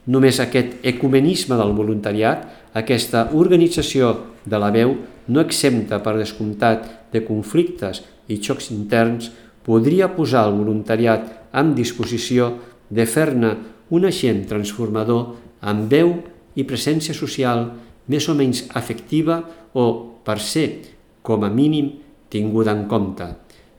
Només aquest ecumenisme del voluntariat, aquesta organització de la veu, no exempta per descomptat de conflictes i xocs interns, podria posar el voluntariat en disposició de fer-ne un agent transformador amb veu i presència social més o menys afectiva o, per ser, com a mínim, tinguda en compte.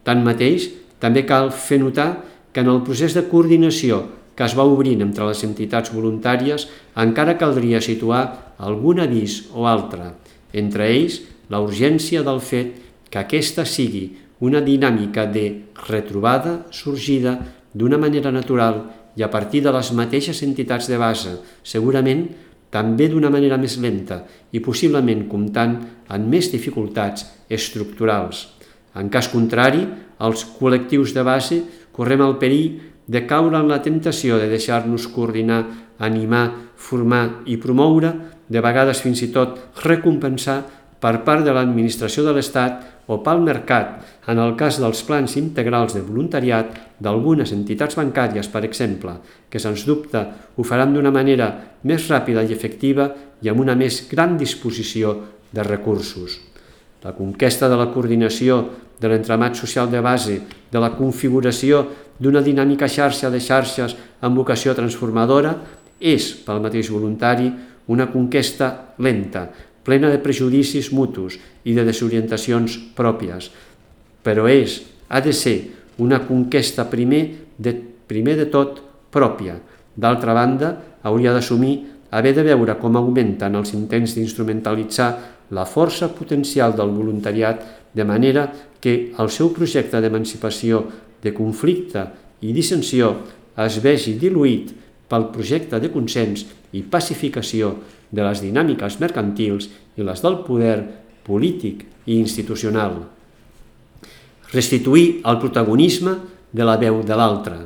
Tanmateix, també cal fer notar que en el procés de coordinació que es va obrint entre les entitats voluntàries encara caldria situar algun avís o altre, entre ells la urgència del fet que aquesta sigui una dinàmica de retrobada sorgida d'una manera natural i a partir de les mateixes entitats de base, segurament també d'una manera més lenta i possiblement comptant amb més dificultats estructurals. En cas contrari, els col·lectius de base correm el perill de caure en la temptació de deixar-nos coordinar, animar, formar i promoure, de vegades fins i tot recompensar per part de l'administració de l'Estat o pel mercat, en el cas dels plans integrals de voluntariat d'algunes entitats bancàries, per exemple, que sens dubte ho faran d'una manera més ràpida i efectiva i amb una més gran disposició de recursos. La conquesta de la coordinació de l'entramat social de base, de la configuració d'una dinàmica xarxa de xarxes amb vocació transformadora, és, pel mateix voluntari, una conquesta lenta, plena de prejudicis mutus i de desorientacions pròpies, però és, ha de ser, una conquesta primer de, primer de tot pròpia. D'altra banda, hauria d'assumir haver de veure com augmenten els intents d'instrumentalitzar la força potencial del voluntariat de manera que el seu projecte d'emancipació, de conflicte i dissensió es vegi diluït pel projecte de consens i pacificació de les dinàmiques mercantils i les del poder polític i institucional. Restituir el protagonisme de la veu de l'altre.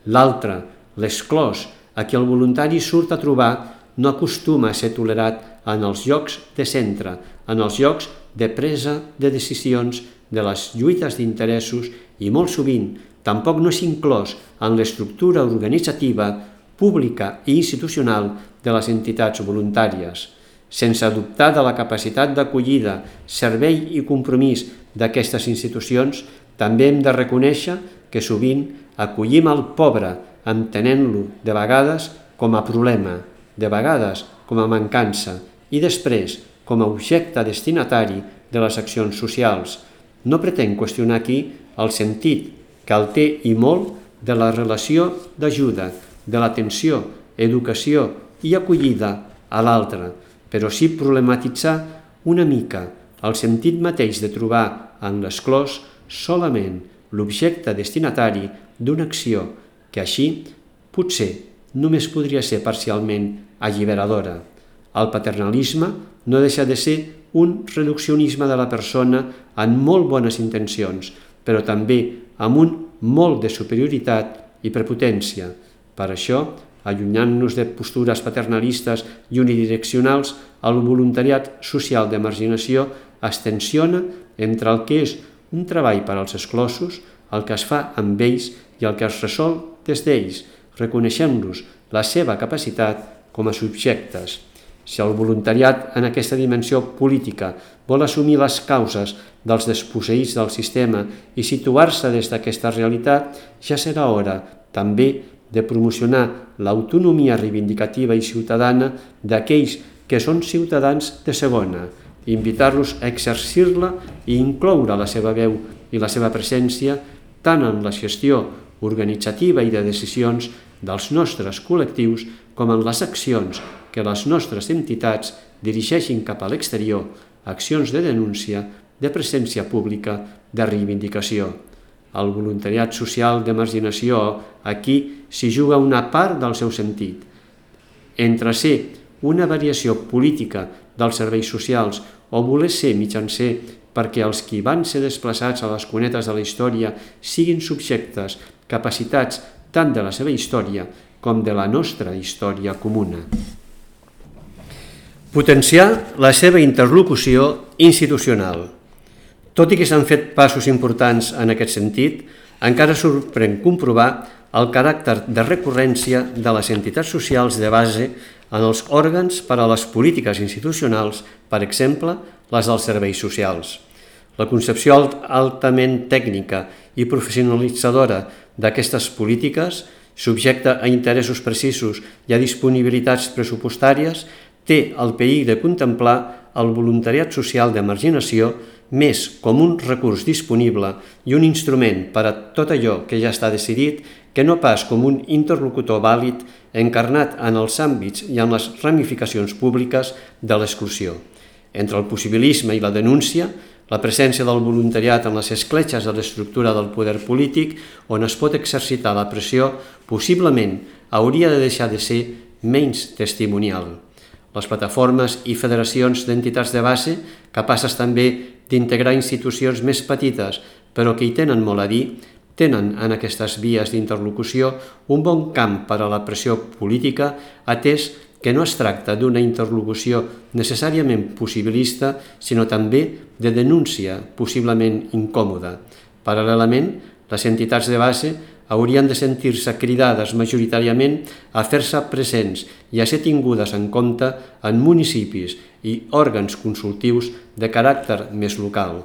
L'altre, l'esclòs, a qui el voluntari surt a trobar, no acostuma a ser tolerat en els llocs de centre, en els llocs de presa de decisions, de les lluites d'interessos i molt sovint tampoc no és inclòs en l'estructura organitzativa, pública i institucional de les entitats voluntàries. Sense dubtar de la capacitat d'acollida, servei i compromís d'aquestes institucions, també hem de reconèixer que sovint acollim el pobre entenent-lo de vegades com a problema, de vegades com a mancança i després com a objecte destinatari de les accions socials. No pretenc qüestionar aquí el sentit que el té i molt de la relació d'ajuda, de l'atenció, educació i acollida a l'altre, però sí problematitzar una mica el sentit mateix de trobar en l'esclòs solament l'objecte destinatari d'una acció que així potser només podria ser parcialment alliberadora. El paternalisme no deixa de ser un reduccionisme de la persona amb molt bones intencions, però també amb un molt de superioritat i prepotència. Per això, allunyant-nos de postures paternalistes i unidireccionals, el voluntariat social de marginació es tensiona entre el que és un treball per als exclosos, el que es fa amb ells i el que es resol des d'ells, reconeixent-los la seva capacitat com a subjectes. Si el voluntariat en aquesta dimensió política vol assumir les causes dels desposseïts del sistema i situar-se des d'aquesta realitat, ja serà hora també de promocionar l'autonomia reivindicativa i ciutadana d'aquells que són ciutadans de segona, invitar-los a exercir-la i incloure la seva veu i la seva presència tant en la gestió organitzativa i de decisions dels nostres col·lectius com en les accions que les nostres entitats dirigeixin cap a l'exterior, accions de denúncia, de presència pública, de reivindicació. El voluntariat social de marginació aquí s'hi juga una part del seu sentit. Entre ser una variació política dels serveis socials o voler ser mitjancer perquè els qui van ser desplaçats a les cunetes de la història siguin subjectes capacitats tant de la seva història com de la nostra història comuna. Potenciar la seva interlocució institucional. Tot i que s'han fet passos importants en aquest sentit, encara sorprèn comprovar el caràcter de recurrència de les entitats socials de base en els òrgans per a les polítiques institucionals, per exemple, les dels serveis socials. La concepció altament tècnica i professionalitzadora d'aquestes polítiques, subjecta a interessos precisos i a disponibilitats pressupostàries, té el perill de contemplar el voluntariat social de marginació més com un recurs disponible i un instrument per a tot allò que ja està decidit que no pas com un interlocutor vàlid encarnat en els àmbits i en les ramificacions públiques de l'exclusió. Entre el possibilisme i la denúncia, la presència del voluntariat en les escletxes de l'estructura del poder polític on es pot exercitar la pressió possiblement hauria de deixar de ser menys testimonial. Les plataformes i federacions d'entitats de base, capaces també d'integrar institucions més petites, però que hi tenen molt a dir, tenen en aquestes vies d'interlocució un bon camp per a la pressió política, atès que no es tracta d'una interlocució necessàriament possibilista, sinó també de denúncia possiblement incòmoda. Paral·lelament, les entitats de base haurien de sentir-se cridades majoritàriament a fer-se presents i a ser tingudes en compte en municipis i òrgans consultius de caràcter més local.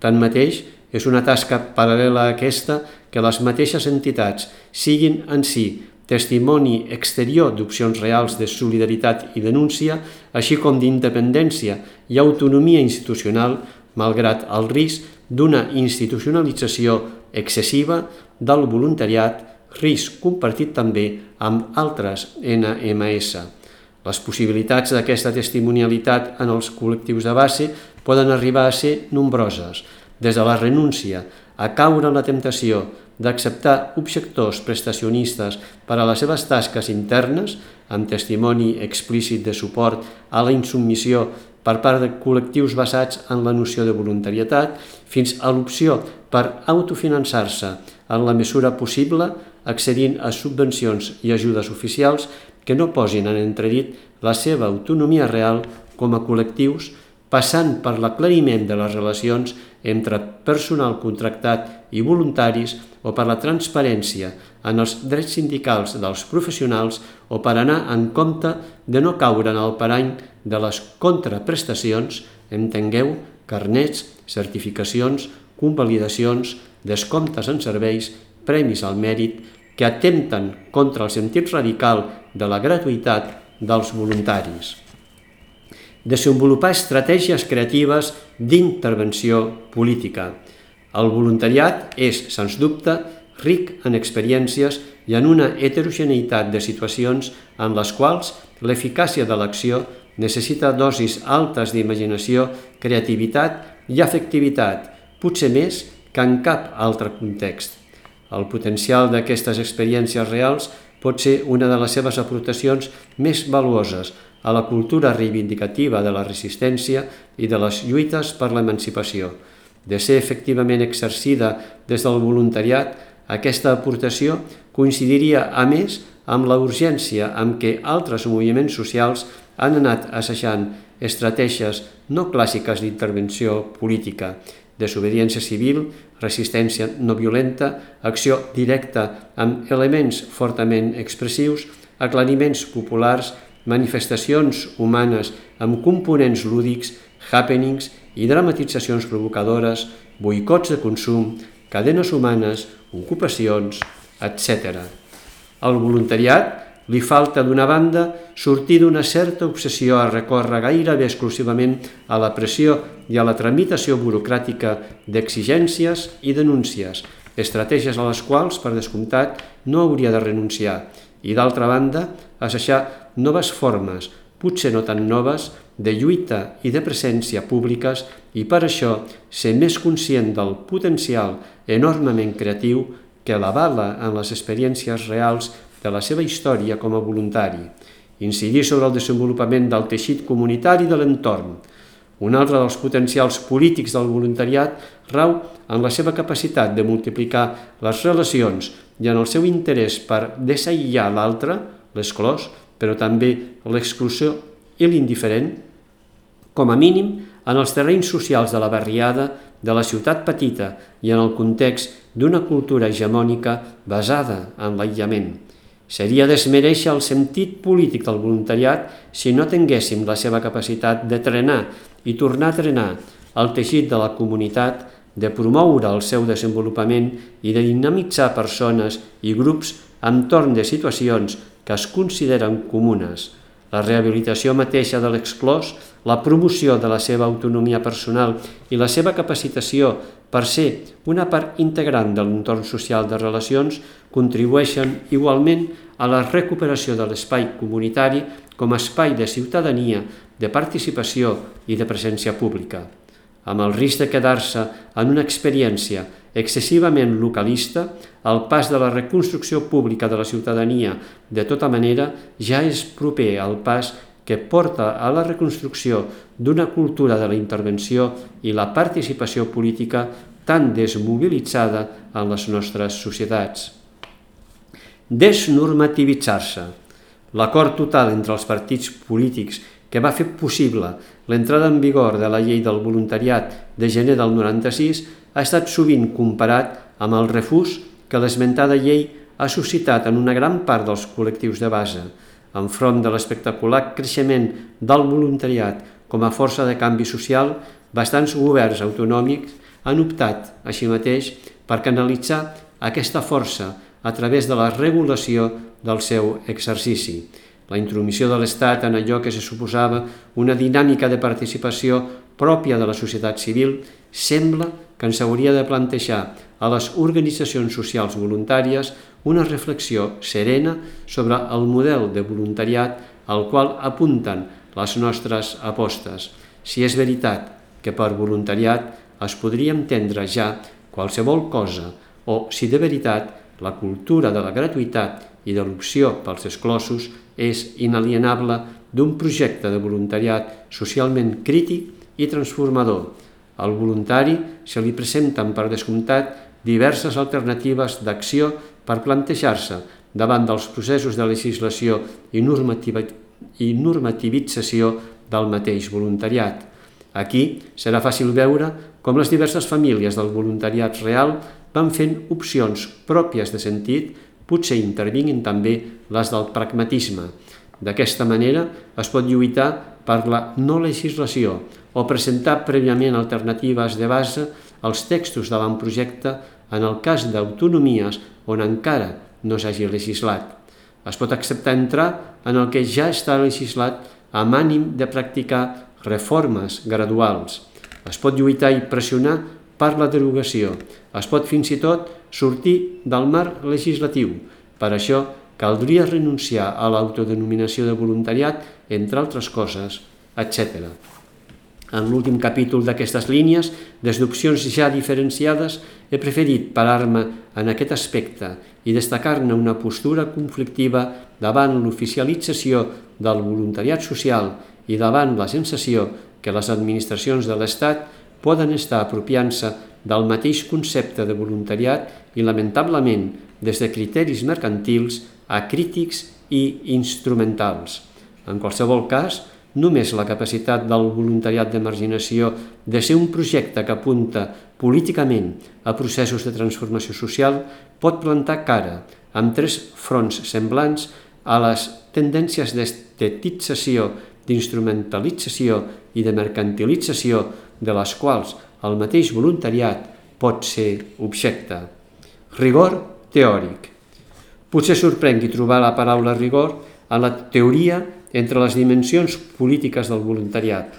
Tanmateix, és una tasca paral·lela a aquesta que les mateixes entitats siguin en si testimoni exterior d'opcions reals de solidaritat i denúncia, així com d'independència i autonomia institucional, malgrat el risc d'una institucionalització excessiva del voluntariat, risc compartit també amb altres ena ema esse. Les possibilitats d'aquesta testimonialitat en els col·lectius de base poden arribar a ser nombroses, des de la renúncia a caure en la temptació d'acceptar objectors prestacionistes per a les seves tasques internes, amb testimoni explícit de suport a la insubmissió per part de col·lectius basats en la noció de voluntarietat, fins a l'opció per autofinançar-se en la mesura possible, accedint a subvencions i ajudes oficials que no posin en entredit la seva autonomia real com a col·lectius, passant per l'aclariment de les relacions entre personal contractat i voluntaris o per la transparència en els drets sindicals dels professionals o per anar en compte de no caure en el parany de les contraprestacions, entengueu, carnets, certificacions, convalidacions, descomptes en serveis, premis al mèrit, que atempten contra el sentit radical de la gratuïtat dels voluntaris. Desenvolupar estratègies creatives d'intervenció política. El voluntariat és, sens dubte, ric en experiències i en una heterogeneïtat de situacions en les quals l'eficàcia de l'acció necessita dosis altes d'imaginació, creativitat i afectivitat, potser més que en cap altre context. El potencial d'aquestes experiències reals pot ser una de les seves aportacions més valuoses a la cultura reivindicativa de la resistència i de les lluites per l'emancipació. De ser efectivament exercida des del voluntariat, aquesta aportació coincidiria, a més, amb la urgència amb què altres moviments socials han anat assajant estratègies no clàssiques d'intervenció política, desobediència civil, resistència no violenta, acció directa amb elements fortament expressius, aclariments populars, manifestacions humanes amb components lúdics, happenings i dramatitzacions provocadores, boicots de consum, cadenes humanes, ocupacions, etcètera. Al voluntariat li falta, d'una banda, sortir d'una certa obsessió a recórrer gairebé exclusivament a la pressió i a la tramitació burocràtica d'exigències i denúncies, estratègies a les quals, per descomptat, no hauria de renunciar, i, d'altra banda, assajar noves formes, potser no tan noves, de lluita i de presència públiques i, per això, ser més conscient del potencial enormement creatiu que l'avala en les experiències reals de la seva història com a voluntari, incidir sobre el desenvolupament del teixit comunitari de l'entorn. Un altre dels potencials polítics del voluntariat rau en la seva capacitat de multiplicar les relacions i en el seu interès per desaïllar l'altre, l'exclòs, però també l'exclusió i l'indiferent, com a mínim en els terrenys socials de la barriada, de la ciutat petita i en el context d'una cultura hegemònica basada en l'aïllament. Seria desmereixer el sentit polític del voluntariat si no tinguéssim la seva capacitat de trenar i tornar a trenar el teixit de la comunitat, de promoure el seu desenvolupament i de dinamitzar persones i grups entorn de situacions que es consideren comunes. La rehabilitació mateixa de l'exclòs, la promoció de la seva autonomia personal i la seva capacitació per ser una part integrant de l'entorn social de relacions contribueixen igualment a la recuperació de l'espai comunitari com a espai de ciutadania, de participació i de presència pública. Amb el risc de quedar-se en una experiència excessivament localista, el pas de la reconstrucció pública de la ciutadania de tota manera ja és proper al pas que porta a la reconstrucció d'una cultura de la intervenció i la participació política tan desmobilitzada en les nostres societats. Desnormativitzar-se. L'acord total entre els partits polítics que va fer possible l'entrada en vigor de la llei del voluntariat de gener del noranta-sis ha estat sovint comparat amb el refús que l'esmentada llei ha suscitat en una gran part dels col·lectius de base, enfront de l'espectacular creixement del voluntariat com a força de canvi social. Bastants governs autonòmics han optat, així mateix, per canalitzar aquesta força a través de la regulació del seu exercici. La intromissió de l'Estat en allò que se suposava una dinàmica de participació pròpia de la societat civil sembla que ens hauria de plantejar a les organitzacions socials voluntàries una reflexió serena sobre el model de voluntariat al qual apunten les nostres apostes. Si és veritat que per voluntariat es podria entendre ja qualsevol cosa, o si de veritat la cultura de la gratuïtat i de l'opció pels exclosos és inalienable d'un projecte de voluntariat socialment crític i transformador. Al voluntari se li presenten, per descomptat, diverses alternatives d'acció per plantejar-se davant dels processos de legislació i, normativa, i normativització del mateix voluntariat. Aquí serà fàcil veure com les diverses famílies del voluntariat real van fent opcions pròpies de sentit, potser intervinguin també les del pragmatisme. D'aquesta manera es pot lluitar per la no legislació o presentar prèviament alternatives de base als textos de l'avantprojecte en el cas d'autonomies on encara no s'hagi legislat. Es pot acceptar entrar en el que ja està legislat amb ànim de practicar reformes graduals. Es pot lluitar i pressionar per la derogació. Es pot fins i tot sortir del marc legislatiu. Per això caldria renunciar a l'autodenominació de voluntariat, entre altres coses, etcètera. En l'últim capítol d'aquestes línies, des d'opcions ja diferenciades, he preferit parar-me en aquest aspecte i destacar-ne una postura conflictiva davant l'oficialització del voluntariat social i davant la sensació que les administracions de l'Estat poden estar apropiant-se del mateix concepte de voluntariat i, lamentablement, des de criteris mercantils, acrítics i instrumentals. En qualsevol cas, només la capacitat del voluntariat de marginació de ser un projecte que apunta políticament a processos de transformació social pot plantar cara amb tres fronts semblants a les tendències d'estetització, d'instrumentalització i de mercantilització de les quals el mateix voluntariat pot ser objecte. Rigor teòric. Potser sorprengui trobar la paraula rigor a la teoria entre les dimensions polítiques del voluntariat,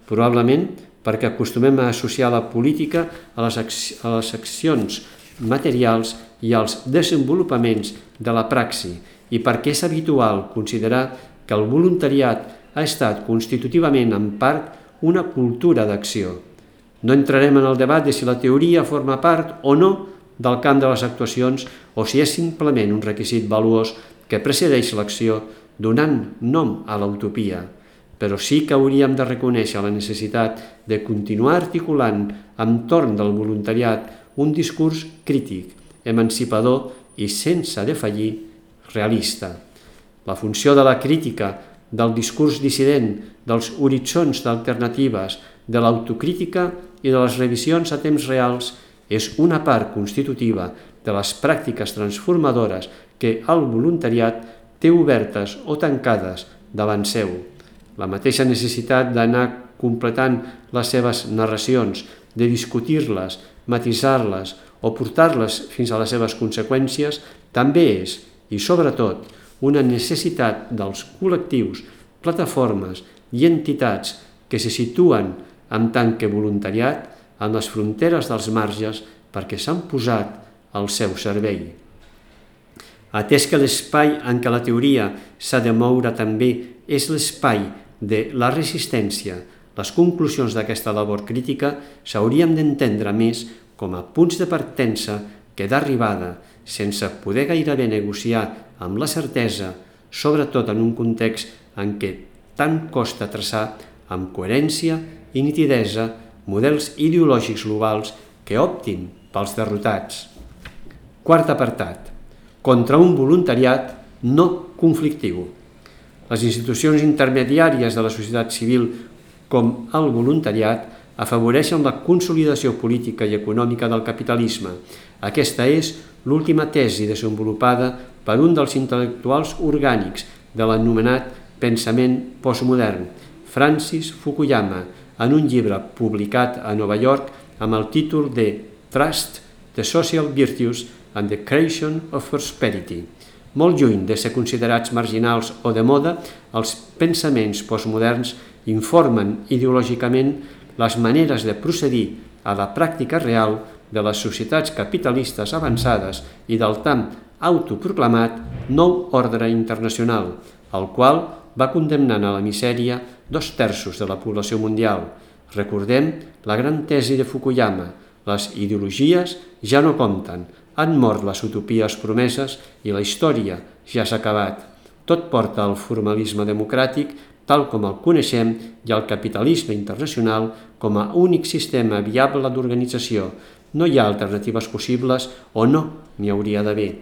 probablement perquè acostumem a associar la política a les, a les accions materials i als desenvolupaments de la praxi i perquè és habitual considerar que el voluntariat ha estat constitutivament en part una cultura d'acció. No entrarem en el debat de si la teoria forma part o no del camp de les actuacions o si és simplement un requisit valuós que precedeix l'acció donant nom a l'utopia, però sí que hauríem de reconèixer la necessitat de continuar articulant entorn del voluntariat un discurs crític, emancipador i sense defallir realista. La funció de la crítica, del discurs dissident, dels horitzons d'alternatives, de l'autocrítica i de les revisions a temps reals és una part constitutiva de les pràctiques transformadores que el voluntariat té obertes o tancades davant seu. La mateixa necessitat d'anar completant les seves narracions, de discutir-les, matisar-les o portar-les fins a les seves conseqüències, també és, i sobretot, una necessitat dels col·lectius, plataformes i entitats que se situen en tant que voluntariat en les fronteres dels marges perquè s'han posat al seu servei. Atès que l'espai en què la teoria s'ha de moure també és l'espai de la resistència, les conclusions d'aquesta labor crítica s'haurien d'entendre més com a punts de partença que d'arribada, sense poder gairebé negociar amb la certesa, sobretot en un context en què tant costa traçar amb coherència i nitidesa models ideològics globals que optin pels derrotats. Quart apartat. Contra un voluntariat no conflictiu. Les institucions intermediàries de la societat civil, com el voluntariat, afavoreixen la consolidació política i econòmica del capitalisme. Aquesta és l'última tesi desenvolupada per un dels intel·lectuals orgànics de l'anomenat pensament postmodern, Francis Fukuyama, en un llibre publicat a Nova York amb el títol de Trust, the Social Virtues and the Creation of Prosperity. Molt lluny de ser considerats marginals o de moda, els pensaments postmoderns informen ideològicament les maneres de procedir a la pràctica real de les societats capitalistes avançades i del tan autoproclamat nou ordre internacional, el qual va condemnant a la misèria dos terços de la població mundial. Recordem la gran tesi de Fukuyama: les ideologies ja no compten, han mort les utopies promeses i la història ja s'ha acabat. Tot porta al formalisme democràtic, tal com el coneixem, i al capitalisme internacional com a únic sistema viable d'organització. No hi ha alternatives possibles o no n'hi hauria d'haver.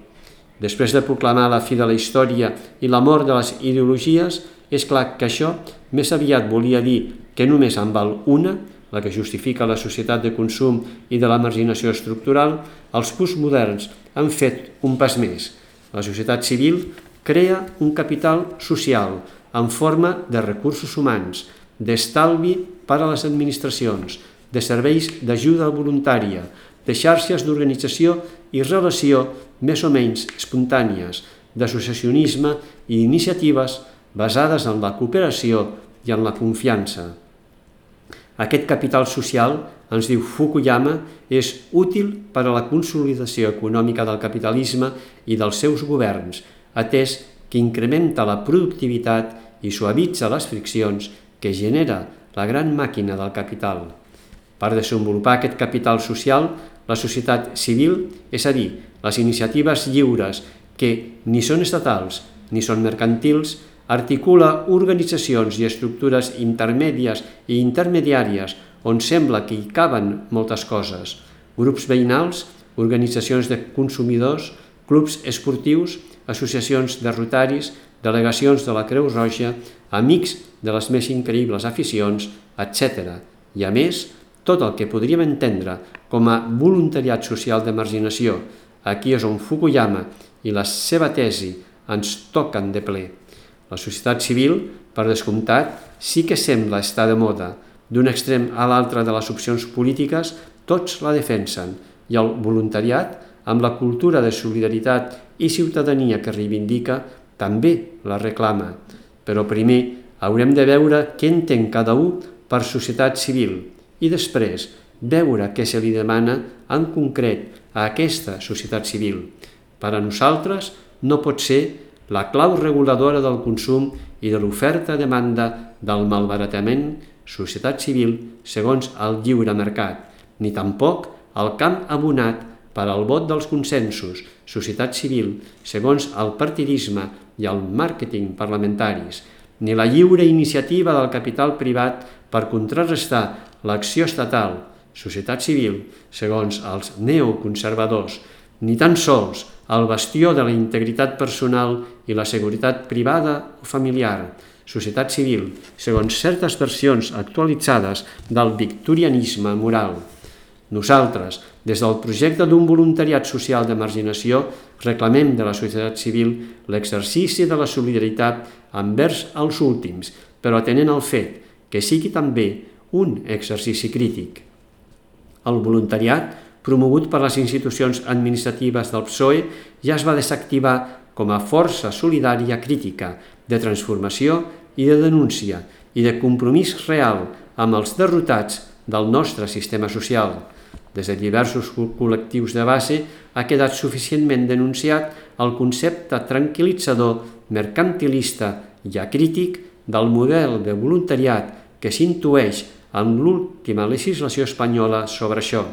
Després de proclamar la fi de la història i la mort de les ideologies, és clar que això més aviat volia dir que només en val una, la que justifica la societat de consum i de la marginació estructural. Els postmoderns han fet un pas més. La societat civil crea un capital social en forma de recursos humans, d'estalvi per a les administracions, de serveis d'ajuda voluntària, de xarxes d'organització i relació més o menys espontànies, d'associacionisme i iniciatives basades en la cooperació i en la confiança. Aquest capital social, ens diu Fukuyama, és útil per a la consolidació econòmica del capitalisme i dels seus governs, atès que incrementa la productivitat i suavitza les friccions que genera la gran màquina del capital. Per desenvolupar aquest capital social, la societat civil, és a dir, les iniciatives lliures que ni són estatals ni són mercantils, articula organitzacions i estructures intermèdies i intermediàries on sembla que hi caben moltes coses: grups veïnals, organitzacions de consumidors, clubs esportius, associacions de rotaris, delegacions de la Creu Roja, amics de les més increïbles aficions, etcètera. I a més, tot el que podríem entendre com a voluntariat social de marginació. Aquí és on Fukuyama i la seva tesi ens toquen de ple. La societat civil, per descomptat, sí que sembla estar de moda. D'un extrem a l'altre de les opcions polítiques, tots la defensen, i el voluntariat, amb la cultura de solidaritat i ciutadania que reivindica, també la reclama. Però primer haurem de veure què entén cada un per societat civil i després veure què se li demana en concret a aquesta societat civil. Per a nosaltres no pot ser la clau reguladora del consum i de l'oferta-demanda del malbaratament societat civil segons el lliure mercat, ni tampoc el camp abonat per al vot dels consensos, societat civil, segons el partidisme i el màrqueting parlamentaris, ni la lliure iniciativa del capital privat per contrarrestar l'acció estatal, societat civil, segons els neoconservadors, ni tan sols el bastió de la integritat personal i la seguretat privada o familiar, societat civil, segons certes versions actualitzades del victorianisme moral. Nosaltres, des del projecte d'un voluntariat social de marginació, reclamem de la societat civil l'exercici de la solidaritat envers els últims, però atenent al fet que sigui també un exercici crític. El voluntariat, promogut per les institucions administratives del P S O E, ja es va desactivar com a força solidària crítica, de transformació i de denúncia, i de compromís real amb els derrotats del nostre sistema social. Des de diversos col·lectius de base ha quedat suficientment denunciat el concepte tranquil·litzador, mercantilista i acrític del model de voluntariat que s'intueix en l'última legislació espanyola sobre això.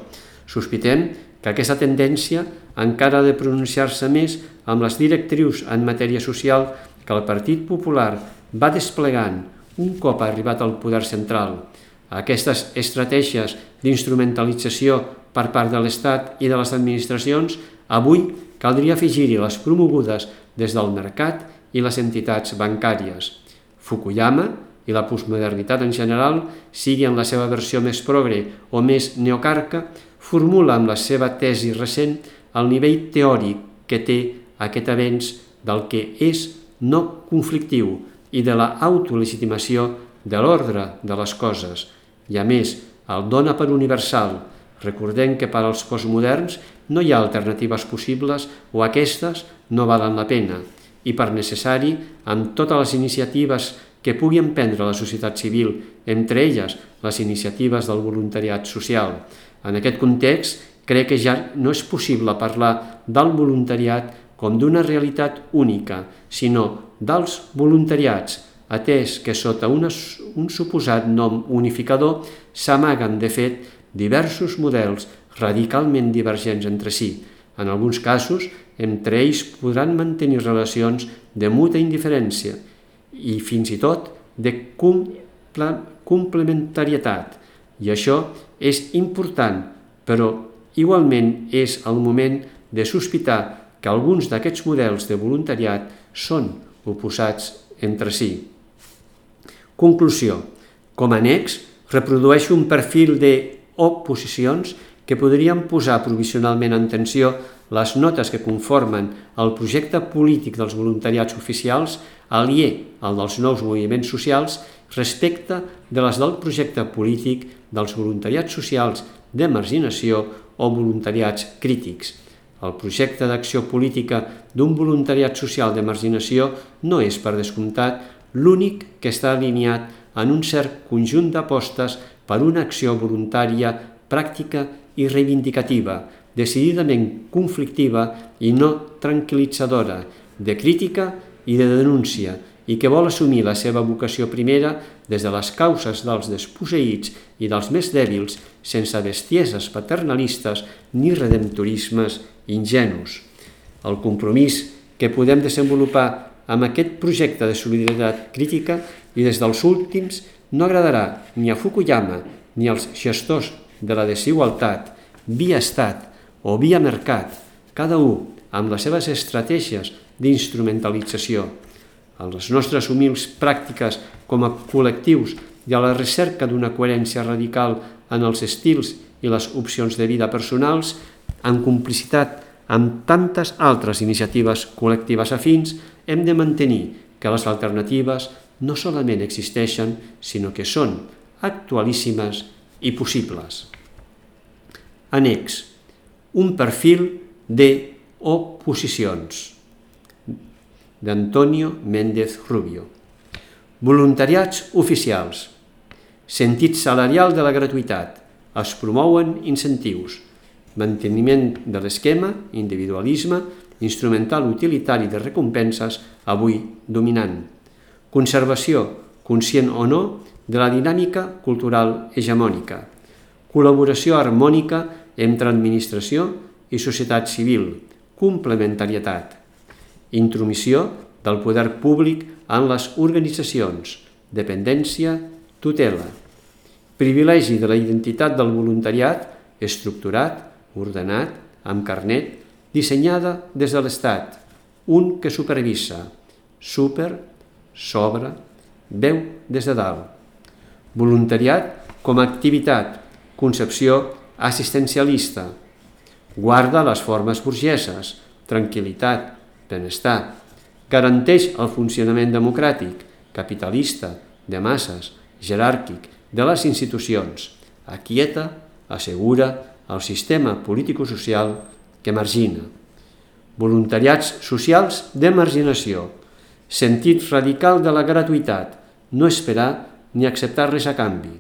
Sospitem que aquesta tendència encara ha de pronunciar-se més amb les directrius en matèria social que el Partit Popular va desplegant un cop ha arribat al poder central. Aquestes estratègies d'instrumentalització per part de l'Estat i de les administracions, avui caldria afegir-hi les promogudes des del mercat i les entitats bancàries. Fukuyama i la postmodernitat en general, sigui en la seva versió més progre o més neocarca, formula amb la seva tesi recent el nivell teòric que té aquest avenç del que és no conflictiu i de la autolegitimació de l'ordre de les coses. I a més, el dona per universal. Recordem que per als postmoderns no hi ha alternatives possibles o aquestes no valen la pena. I per necessari, amb totes les iniciatives que pugui emprendre la societat civil, entre elles les iniciatives del voluntariat social. En aquest context, crec que ja no és possible parlar del voluntariat com d'una realitat única, sinó dels voluntariats, atès que sota una, un suposat nom unificador s'amaguen, de fet, diversos models radicalment divergents entre si. En alguns casos, entre ells podran mantenir relacions de muta indiferència i fins i tot de complementarietat. I això és important, però igualment és el moment de sospitar que alguns d'aquests models de voluntariat són oposats entre si. Conclusió. Com a annex, reprodueixo un perfil d'oposicions que podrien posar provisionalment en tensió les notes que conformen el projecte polític dels voluntariats oficials, aliè al dels nous moviments socials, respecte de les del projecte polític dels voluntariats socials de marginació o voluntariats crítics. El projecte d'acció política d'un voluntariat social de marginació no és, per descomptat, l'únic que està alineat en un cert conjunt d'apostes per una acció voluntària, pràctica i reivindicativa, decididament conflictiva i no tranquil·litzadora, de crítica i de denúncia, i que vol assumir la seva vocació primera des de les causes dels desposseïts i dels més dèbils, sense bestieses paternalistes ni redemptorismes ingenus. El compromís que podem desenvolupar amb aquest projecte de solidaritat crítica i des dels últims no agradarà ni a Fukuyama ni als gestors de la desigualtat, via estat o via mercat, cada un amb les seves estratègies d'instrumentalització. a les nostres humils pràctiques com a col·lectius i a la recerca d'una coherència radical en els estils i les opcions de vida personals, en complicitat amb tantes altres iniciatives col·lectives afins, hem de mantenir que les alternatives no solament existeixen, sinó que són actualíssimes i possibles. Annex. Un perfil de oposicions. D'Antonio Méndez Rubio. Voluntariats oficials. Sentit salarial de la gratuïtat. Es promouen incentius. Manteniment de l'esquema, individualisme, instrumental utilitari de recompenses, avui dominant. Conservació, conscient o no, de la dinàmica cultural hegemònica. Col·laboració harmònica entre administració i societat civil. Complementarietat. Intromissió del poder públic en les organitzacions. Dependència, tutela. Privilegi de la identitat del voluntariat estructurat, ordenat, amb carnet, dissenyada des de l'Estat, un que supervisa, super, sobre, veu des de dalt. Voluntariat com a activitat, concepció assistencialista, guarda les formes burgeses, tranquil·litat, benestar, garanteix el funcionament democràtic, capitalista, de masses, jeràrquic, de les institucions, aquieta, assegura el sistema político-social que margina. Voluntariats socials de marginació, sentit radical de la gratuïtat, no esperar ni acceptar res a canvi,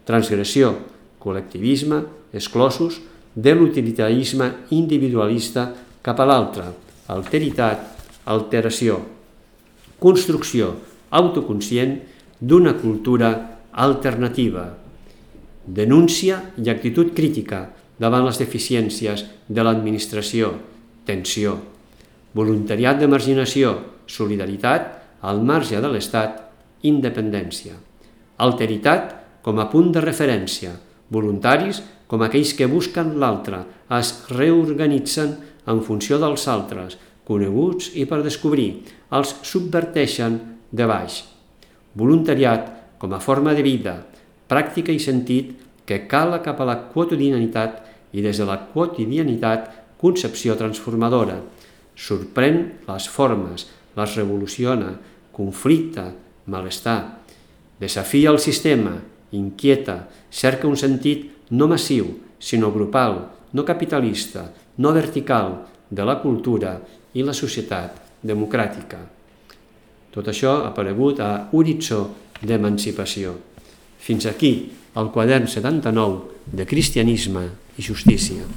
transgressió, col·lectivisme, exclosos de l'utilitarisme individualista cap a l'altre, alteritat, alteració, construcció autoconscient d'una cultura alternativa, denúncia i actitud crítica davant les deficiències de l'administració, tensió, voluntariat de marginació, solidaritat al marge de l'Estat, independència, alteritat com a punt de referència, voluntaris com aquells que busquen l'altre, es reorganitzen en funció dels altres, coneguts i per descobrir, els subverteixen de baix. Voluntariat com a forma de vida, pràctica i sentit que cala cap a la quotidianitat i des de la quotidianitat concepció transformadora. Sorprèn les formes, les revoluciona, conflicta, malestar. Desafia el sistema, inquieta, cerca un sentit no massiu, sinó grupal, no capitalista, no vertical, de la cultura i la societat democràtica. Tot això ha aparegut a Horitzó d'Emancipació. Fins aquí el quadern setanta-nou de Cristianisme i Justícia.